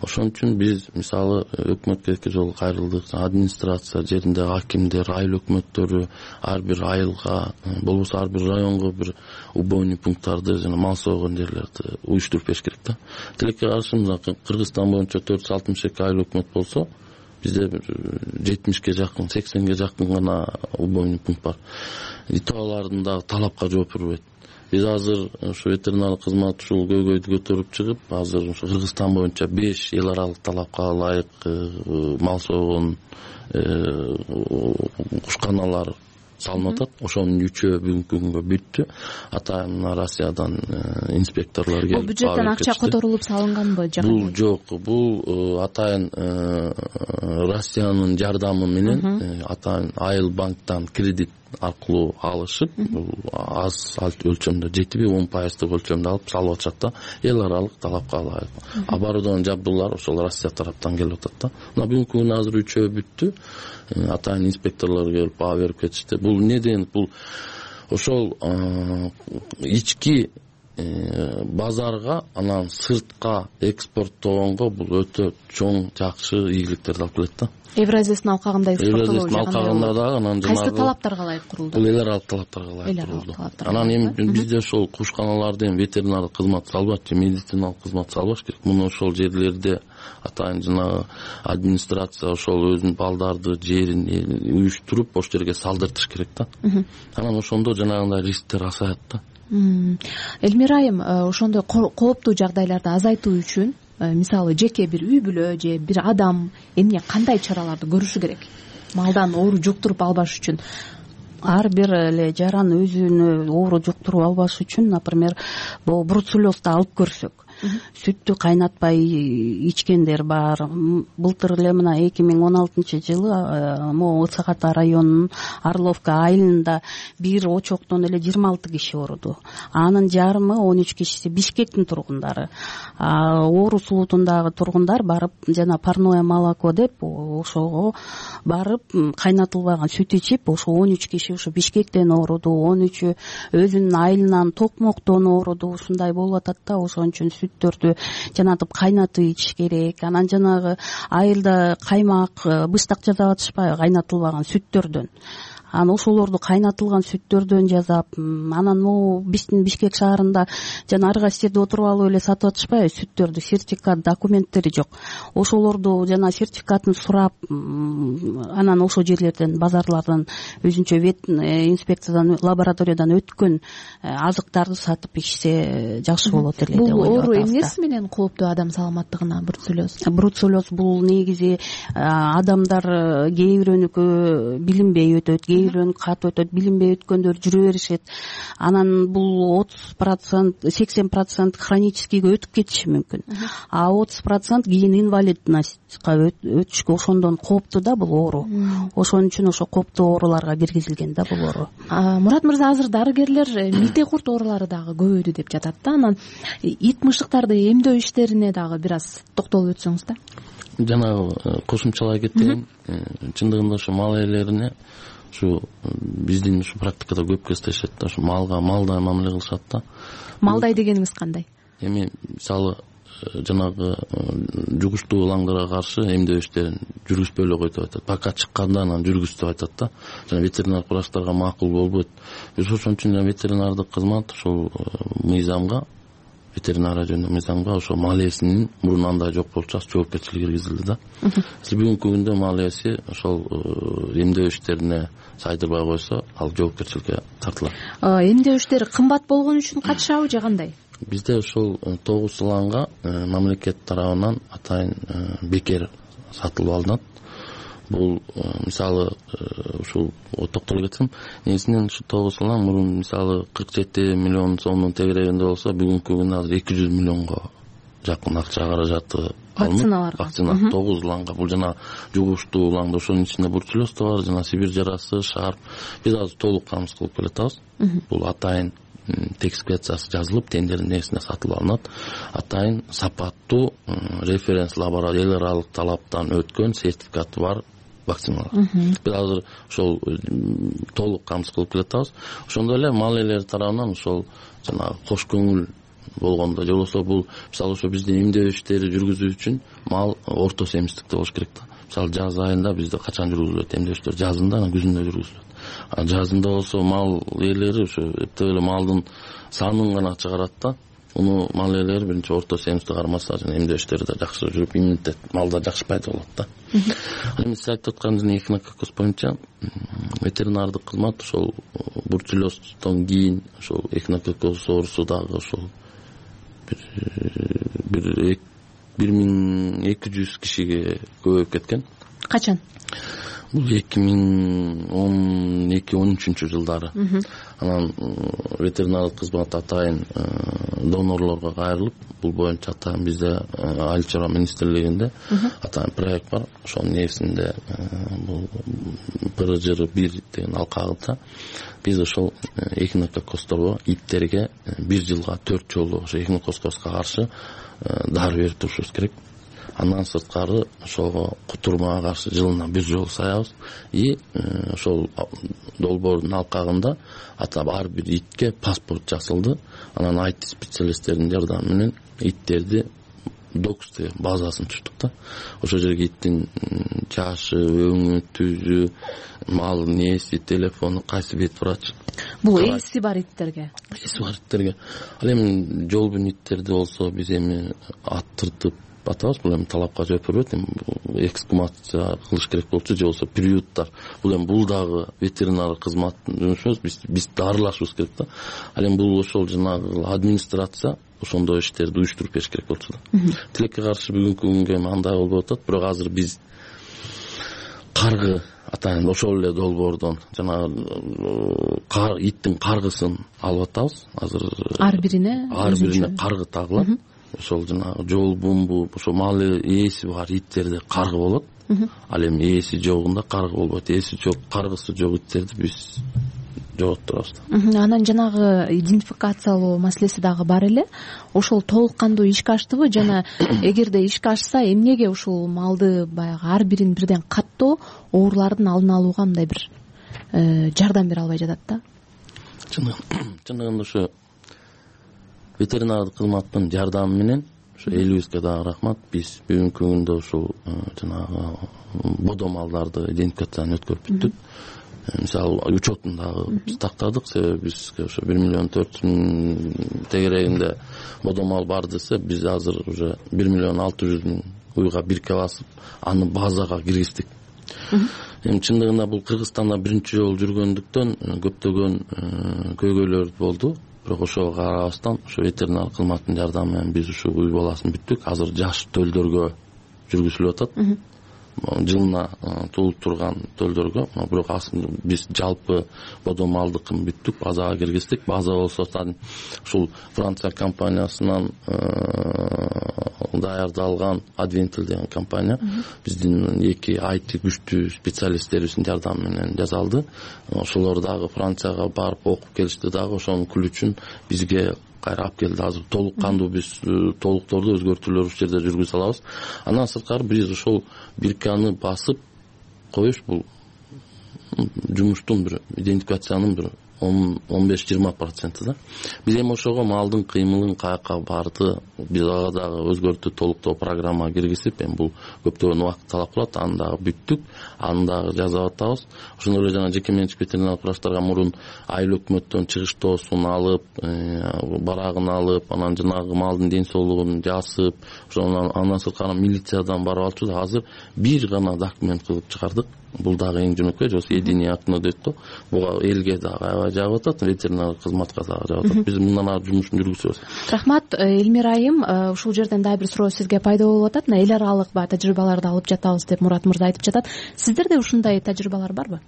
Ошон үчүн биз мисалы өкмөткө эки жолу кайрылдык. Администрация жеринде акимдер, айыл өкмөттөрү ар бир айылга, болбосо ар бир районго бир убойный пункттарды жана мал сойгон жерлерди уюштуруп бериш керек да. Тилекке каршы Кыргызстан боюнча 462 айыл өкмөт болсо, бизде 70ге жакын, 80ге жакын гана убойный пункт бар. Алардын дагы талапка жооп бербейт. Биз азыр ушу ветеринардык кызмат ушул көйгөйдү көтөрүп чыгып, азыр ушу Кыргызстан боюнча 5 эл аралык талапка ылайык мал сойгон кушканалар салынып атат. Ошонун 3-өө бүгүнкү күнгө бүттү. Атайын Россиядан инспекторлор келип, бул бюджеттен акча которулуп салынганбы? Бул жок, бул атайын Россиянын жардамы менен атайын Айыл банктан кредит аркылуу алышып, аз өлчөмдө 7-10% өлчөмдө алып салып атышат да. Эл аралык талапка ылайык. Оборудование жабдуулар ошол Россия тараптан келип атат да. Мына бүгүнкү күнү азыр 3-өө бүттү. Атайын инспекторлор келип баа берип кетишти. Бул неден? Бул ошол ички базарга, анан сыртка экспорттогонго бул өтө чоң жакшы ийгиликтерди алып келет да. Евразиясын алкагында экспорттолуу алкагында дагы анан кайсы талаптарга ылайык курулду? Бул эл аралык талаптарга ылайык курулду. Анан эми бизде ошол кушканаларда эми ветеринардык кызмат салбайт же медициналык кызмат салбаш керек. Муну ошол жерлерде атайын жанагы администрация ошол өзүнүн балдарды жерин уюштуруп ошол жерге салдыртыш керек да. Анан ошондо жанагындай рисктер азаят да. Элмира айым, ошондой кооптуу жагдайларды азайтуу үчүн мисалы жеке бир үй бүлө же бир адам эмне кандай чараларды көрүшү керек? Малдан оору жуктуруп албаш үчүн. Ар бир эле жаран өзүнө оору жуктуруп албаш үчүн, например, бул бруцеллезду алып көрсөк, сүттү кайнатпай ичкендер бар. Былтыр эле мына 2016-жылы могу Ысык Ата районунун Орловка айылында бир очоктон эле 26 киши ооруду. Анын жарымы 13 кишиси Бишкектин тургундары. Оору сулутундагы тургундар барып жана парное молоко деп ошого барып кайнатылбаган сүт ичип, ошо 13 киши ушу Бишкектен ооруду, 13-ü өзүнүн айылынан токмоктон ооруду. Ушундай болуп атат да. Ошон үчүн сүттөрдү жанатып кайнатып ичиш керек. Анан жанагы айылда каймак, быштак жасап атышпайбы кайнатылбаган сүттөрдөн. Анан ошолорду кайнатылган сүттөрдөн жасап, анан могу биздин Бишкек шаарында жана ар кайсы жерде отуруп алып эле сатып атышпайбы сүттөрдү, сертификат, документтери жок. Ошолорду жана сертификатын сурап, анан ошол жерлерден, базарлардан өзүнчө вет инспекциядан, лабораториядан өткөн азыктарды сатып ичсе жакшы болот эле деп ойлоп атабыз. Бул оору эмнеси менен кооптуу адам саламаттыгына бруцеллез? Бруцеллез бул негизи адамдар кээ бирөөнүкү билинбей өтөт, кээ бирөөнүкү кат өтөт, билинбей өткөндөр жүрө беришет. Анан бул 30%, 80% хроническийге өтүп кетиши мүмкүн. А 30% кийин инвалидностька өтүшкө ошондон кооптуу да бул оору. Ошон үчүн ошо кооптуу ооруларга киргизилген да бул оору. Мурат мырза, азыр дарыгерлер мите курт оорулары дагы көбөйдү деп жатат да. Анан ит мышыктарды эмдөө иштерине дагы бир аз токтолуп өтсөңүз да. Жанагы кошумчалай кетейин. Чындыгында ошо мал ээлерине ушу биздин ушу практикада көп кездешет да. Ушу малдай мамиле кылышат да. Малдай дегениңиз кандай? Эми мисалы жанагы жугуштуу ылаңдарга каршы эмдөө иштерин жүргүзбөй эле кой деп айтат. Пока чыкканда анан жүргүз деп айтат да. Жана ветеринардык врачтарга макул болбойт. Биз ошон үчүн ветеринардык кызмат ошол мыйзамга, ветеринария жөнүндө мыйзамга ошол мал ээсинин мурун андай жок болчу жоопкерчилиги киргизилди да. Бүгүнкү күндө мал ээси ошол эмдөө иштерине сайдырбай койсо, ал жоопкерчиликке тартылат. Эмдөө иштери кымбат болгон үчүн катышабы же кандай? Бизде ошол 9 ылаңга мамлекет тарабынан атайын бекер сатылып алынат. Бул мисалы ушул токтолуп кетсем, негизинен ушу 9 ылаң мурун мисалы 47 миллион сомдун тегерегинде болсо, бүгүнкү күндө азыр 200 миллионго жакын акча каражаты алынып, вакцина 9 ылаңга. Бул жана жугуштуу ылаңда ошонун ичинде бруцеллез да бар, жана Сибирь жарасы, шарп. Биз азыр толук камсыз кылып келатабыз. Бул атайын текспециясы жазылып, тендердин несине сатылып алынат. Атайын сапаттуу референс лаборатория, эл аралык талаптан өткөн сертификаты бар вакциналар. Биз азыр ошол толук камсыз кылып келатабыз. Ошондой эле мал ээлери тарабынан ошол жана кош көңүл болгондо же болбосо бул мисалы ошо биздин эмдөө иштери жүргүзүү үчүн мал орто семиздикте болуш керек да. Мисалы жаз айында бизде качан жүргүзүлөт эмдөө иштери? Жазында, анан күзүндө жүргүзүлөт. Жазында болсо мал ээлери ошо эптеп эле малдын санын гана чыгарат да. Муну мал ээлери биринчи орто семизди кармаса эмдөө иштери да жакшы жүрүп, иммунитет малда жакшы пайда болот да. Эми сиз айтып аткан эхинококкоз боюнча ветеринардык кызмат ошол бурчулездон кийин ошол эхинококкоз оорусу дагы ошол бир 1200 кишиге көбөйүп кеткен. Качан? Бул 2012-13 жылдары. Анан ветеринардык кызмат атайын донорлорго кайрылып, бул боюнча атайын бизде айыл чарба министрлигинде атайын проект бар. Ошонун негизинде бул ПРЖР-1 деген алкагында биз ошол эхинококкозторго, иттерге 1 жылга 4 жолу ошо эхинококкозго каршы дары берип турушубуз керек. Андан сырткары ошого кутурмага каршы жылына 1 жолу саябыз. И ошол долбоордун алкагында ар бир итке паспорт жасалды. Анан IT специалисттердин жардамы менен иттерди докс деген базасын түздүк да. Ошол жерге иттин жашы, өңү, түзү, малдын ээси, телефону, кайсы бет врач. Бул ээси бар иттерге. Ээси бар иттерге. Ал эми жолбун иттерди болсо биз эми аттыртып атабыз, бул эми талапка жооп бербейт, эми эксгумация кылыш керек болчу, же болбосо приюттар. Бул эми бул дагы ветеринар кызматтын жұмышыбыз, биз дарылашыбыз керек да. Ал эми бул ошол жанагы администрация ошондой иштерди уюштуруп бериш керек болчу да. Тилекке каршы бүгүнкү күнгө андай болуп атат, бирок азыр биз каргы атайын ошол эле долбоордон жанагы иттин каргысын алып атабыз. Азыр ар бирине каргы тагылат. Ошол жанагы жолбунбу, ошо мал ээси бар иттерде каргы болот. Ал эми ээси жогунда каргы болбойт. Ээси жок, каргысы жок иттерди биз жоготтурабыз. Анан жанагы идентификациялоо маселеси дагы бар эле. Ошол толук кандуу ишке аштыбы жана эгерде ишке ашса, эмнеге ушул малды баягы ар бирин бирден каттоо оорулардын алдын алууга мындай бир жардам бере албай жатат да? Чындыгында ошо ветеринардык кызматтын жардамы менен ошо элибизге дагы рахмат. Биз бүгүнкү күндө ушул жанагы бодо малдарды идентификацияны өткөрүп бүттүк. Мисалы учетун дагы биз тактадык, себеби бизге ошо 1,4 миллион тегерегинде бодо мал бар десе, биз азыр уже 1,6 миллион уйга бирке басып, аны базага киргиздик. Эми чындыгында бул Кыргызстанда биринчи жолу жүргөндүктөн көптөгөн көйгөйлөр болду. Бирок ошого карабастан ошо ветеринар кызматтын жардамы менен биз ушул уй баласын бүттүк. Азыр жаш төлдөргө жүргүзүлүп атат. Жылына туулуп турган төлдөргө. Бирок биз жалпы бодо малдыкын бүттүк, базага киргиздик. База болсо ушул Франция компаниясынан даярдалган Adventil деген компания биздин эки IT күчтүү специалисттерибиздин жардамы менен жасалды. Ошолор дагы Францияга барып окуп келишти дагы, ошонун күлүчүн бизге кайра алып келди. Азыр толук кандуу биз толукторду өзгөртүүлөр ушул жерде жүргүзө алабыз. Андан сырткары биз ошол бирканы басып коюш бул жумуштун бир идентификациянын бир 15-20% да. Биз эми ошого малдын кыймылын каяка барды биз ага дагы өзгөртүү толуктоо программа киргизип, эми бул көптөгөн убакыт талап кылат, аны дагы бүттүк, аны дагы жазып атабыз. Ошондой эле жана жеке менчик ветеринар врачтарга мурун айыл өкмөттөн чыгыштоосун алып, барагын алып, анан жанагы малдын ден соолугун жасып, ошондон андан сырткары милициядан барып алчу да. Азыр бир гана документ кылып чыгардык. Бул дагы эң жөнөкөй, жок единое окно дейт го. Буга элге дагы аябай жагып атат, ветеринар кызматка дагы жагып атат. Биз мындан ары жумушун жүргүзөбүз. Рахмат, Элмира айым, ушул жерден дагы бир суроо сизге пайда болуп атат. Эл аралык баягы тажрыйбаларды алып жатабыз деп Мурат мырза айтып жатат. Сиздерде ушундай тажрыйбалар барбы?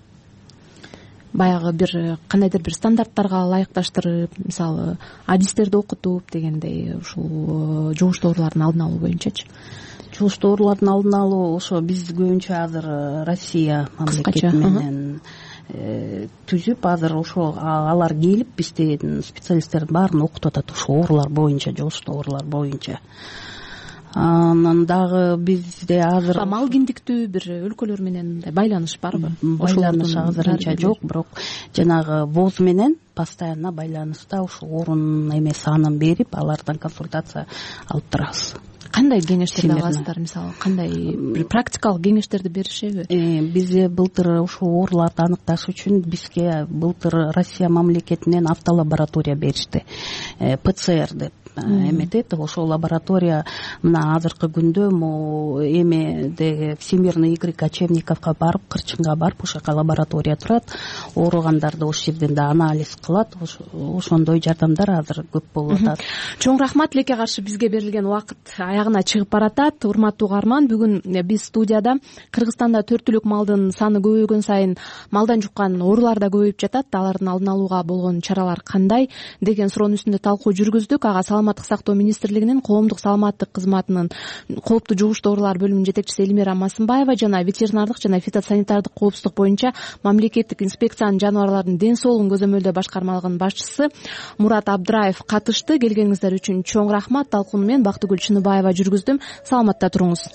Баягы бир кандайдыр бир стандарттарга ылайыкташтырып, мисалы, адистерди окутуп дегендей, ушул жугуштуу оорулардын алдын алуу боюнчачы. Жугуштуу оорулардын алдын алуу ошо биз көбүнчө азыр Россия мамлекети менен түзүп, азыр ошо алар келип биздин специалисттердин баарын окутуп атат ушул оорулар боюнча, жугуштуу оорулар боюнча. Анан дагы бизде азыр мал киндиктүү бир өлкөлөр менен мындай байланыш барбы? Байланыш азырынча жок, бирок жанагы ВОЗ менен постоянно байланышта ушул орун санын берип, алардан консультация алып турабыз. Кандай кеңештерди аласыздар, мисалы кандай бир практикалык кеңештерди беришеби? Бизде былтыр ушул ооруларды аныкташ үчүн бизге былтыр Россия мамлекетинен автолаборатория беришти, ПЦР деп эметет. Ошол лаборатория мына азыркы күндө эмеде Всемирный Игорь Кочевниковго барып, Кырчынга барып, ошол жака лаборатория турат. Ооругандарды ошол жерден да анализ кылат. Ошондой жардамдар азыр көп болуп атат. Чоң рахмат. Тилекке каршы бизге берилген убакыт аягына чыгып баратат. Урматтуу угарман, бүгүн биз студияда Кыргызстанда 4 түлүк малдын саны көбөйгөн сайын малдан жуккан оорулар да көбөйүп жатат. Алардын алдын алууга болгон чаралар кандай деген суроонун үстүндө талкуу жүргүздүк. Ага Саламаттык сактоо министрлигинин коомдук саламаттык кызматынын кооптуу жугуштуу оорулар бөлүмүнүн жетекчиси Элмира Масымбаева жана ветеринардык жана фитосанитардык коопсуздук боюнча мамлекеттик инспекциянын жаныбарлардын ден соолугун көзөмөлдөө башкармалыгынын башчысы Мурат Абдыраев катышты. Келгениңиздер үчүн чоң рахмат. Талкууну мен Бактыгүл Чыныбаева жүргүздүм. Саламатта туруңуз.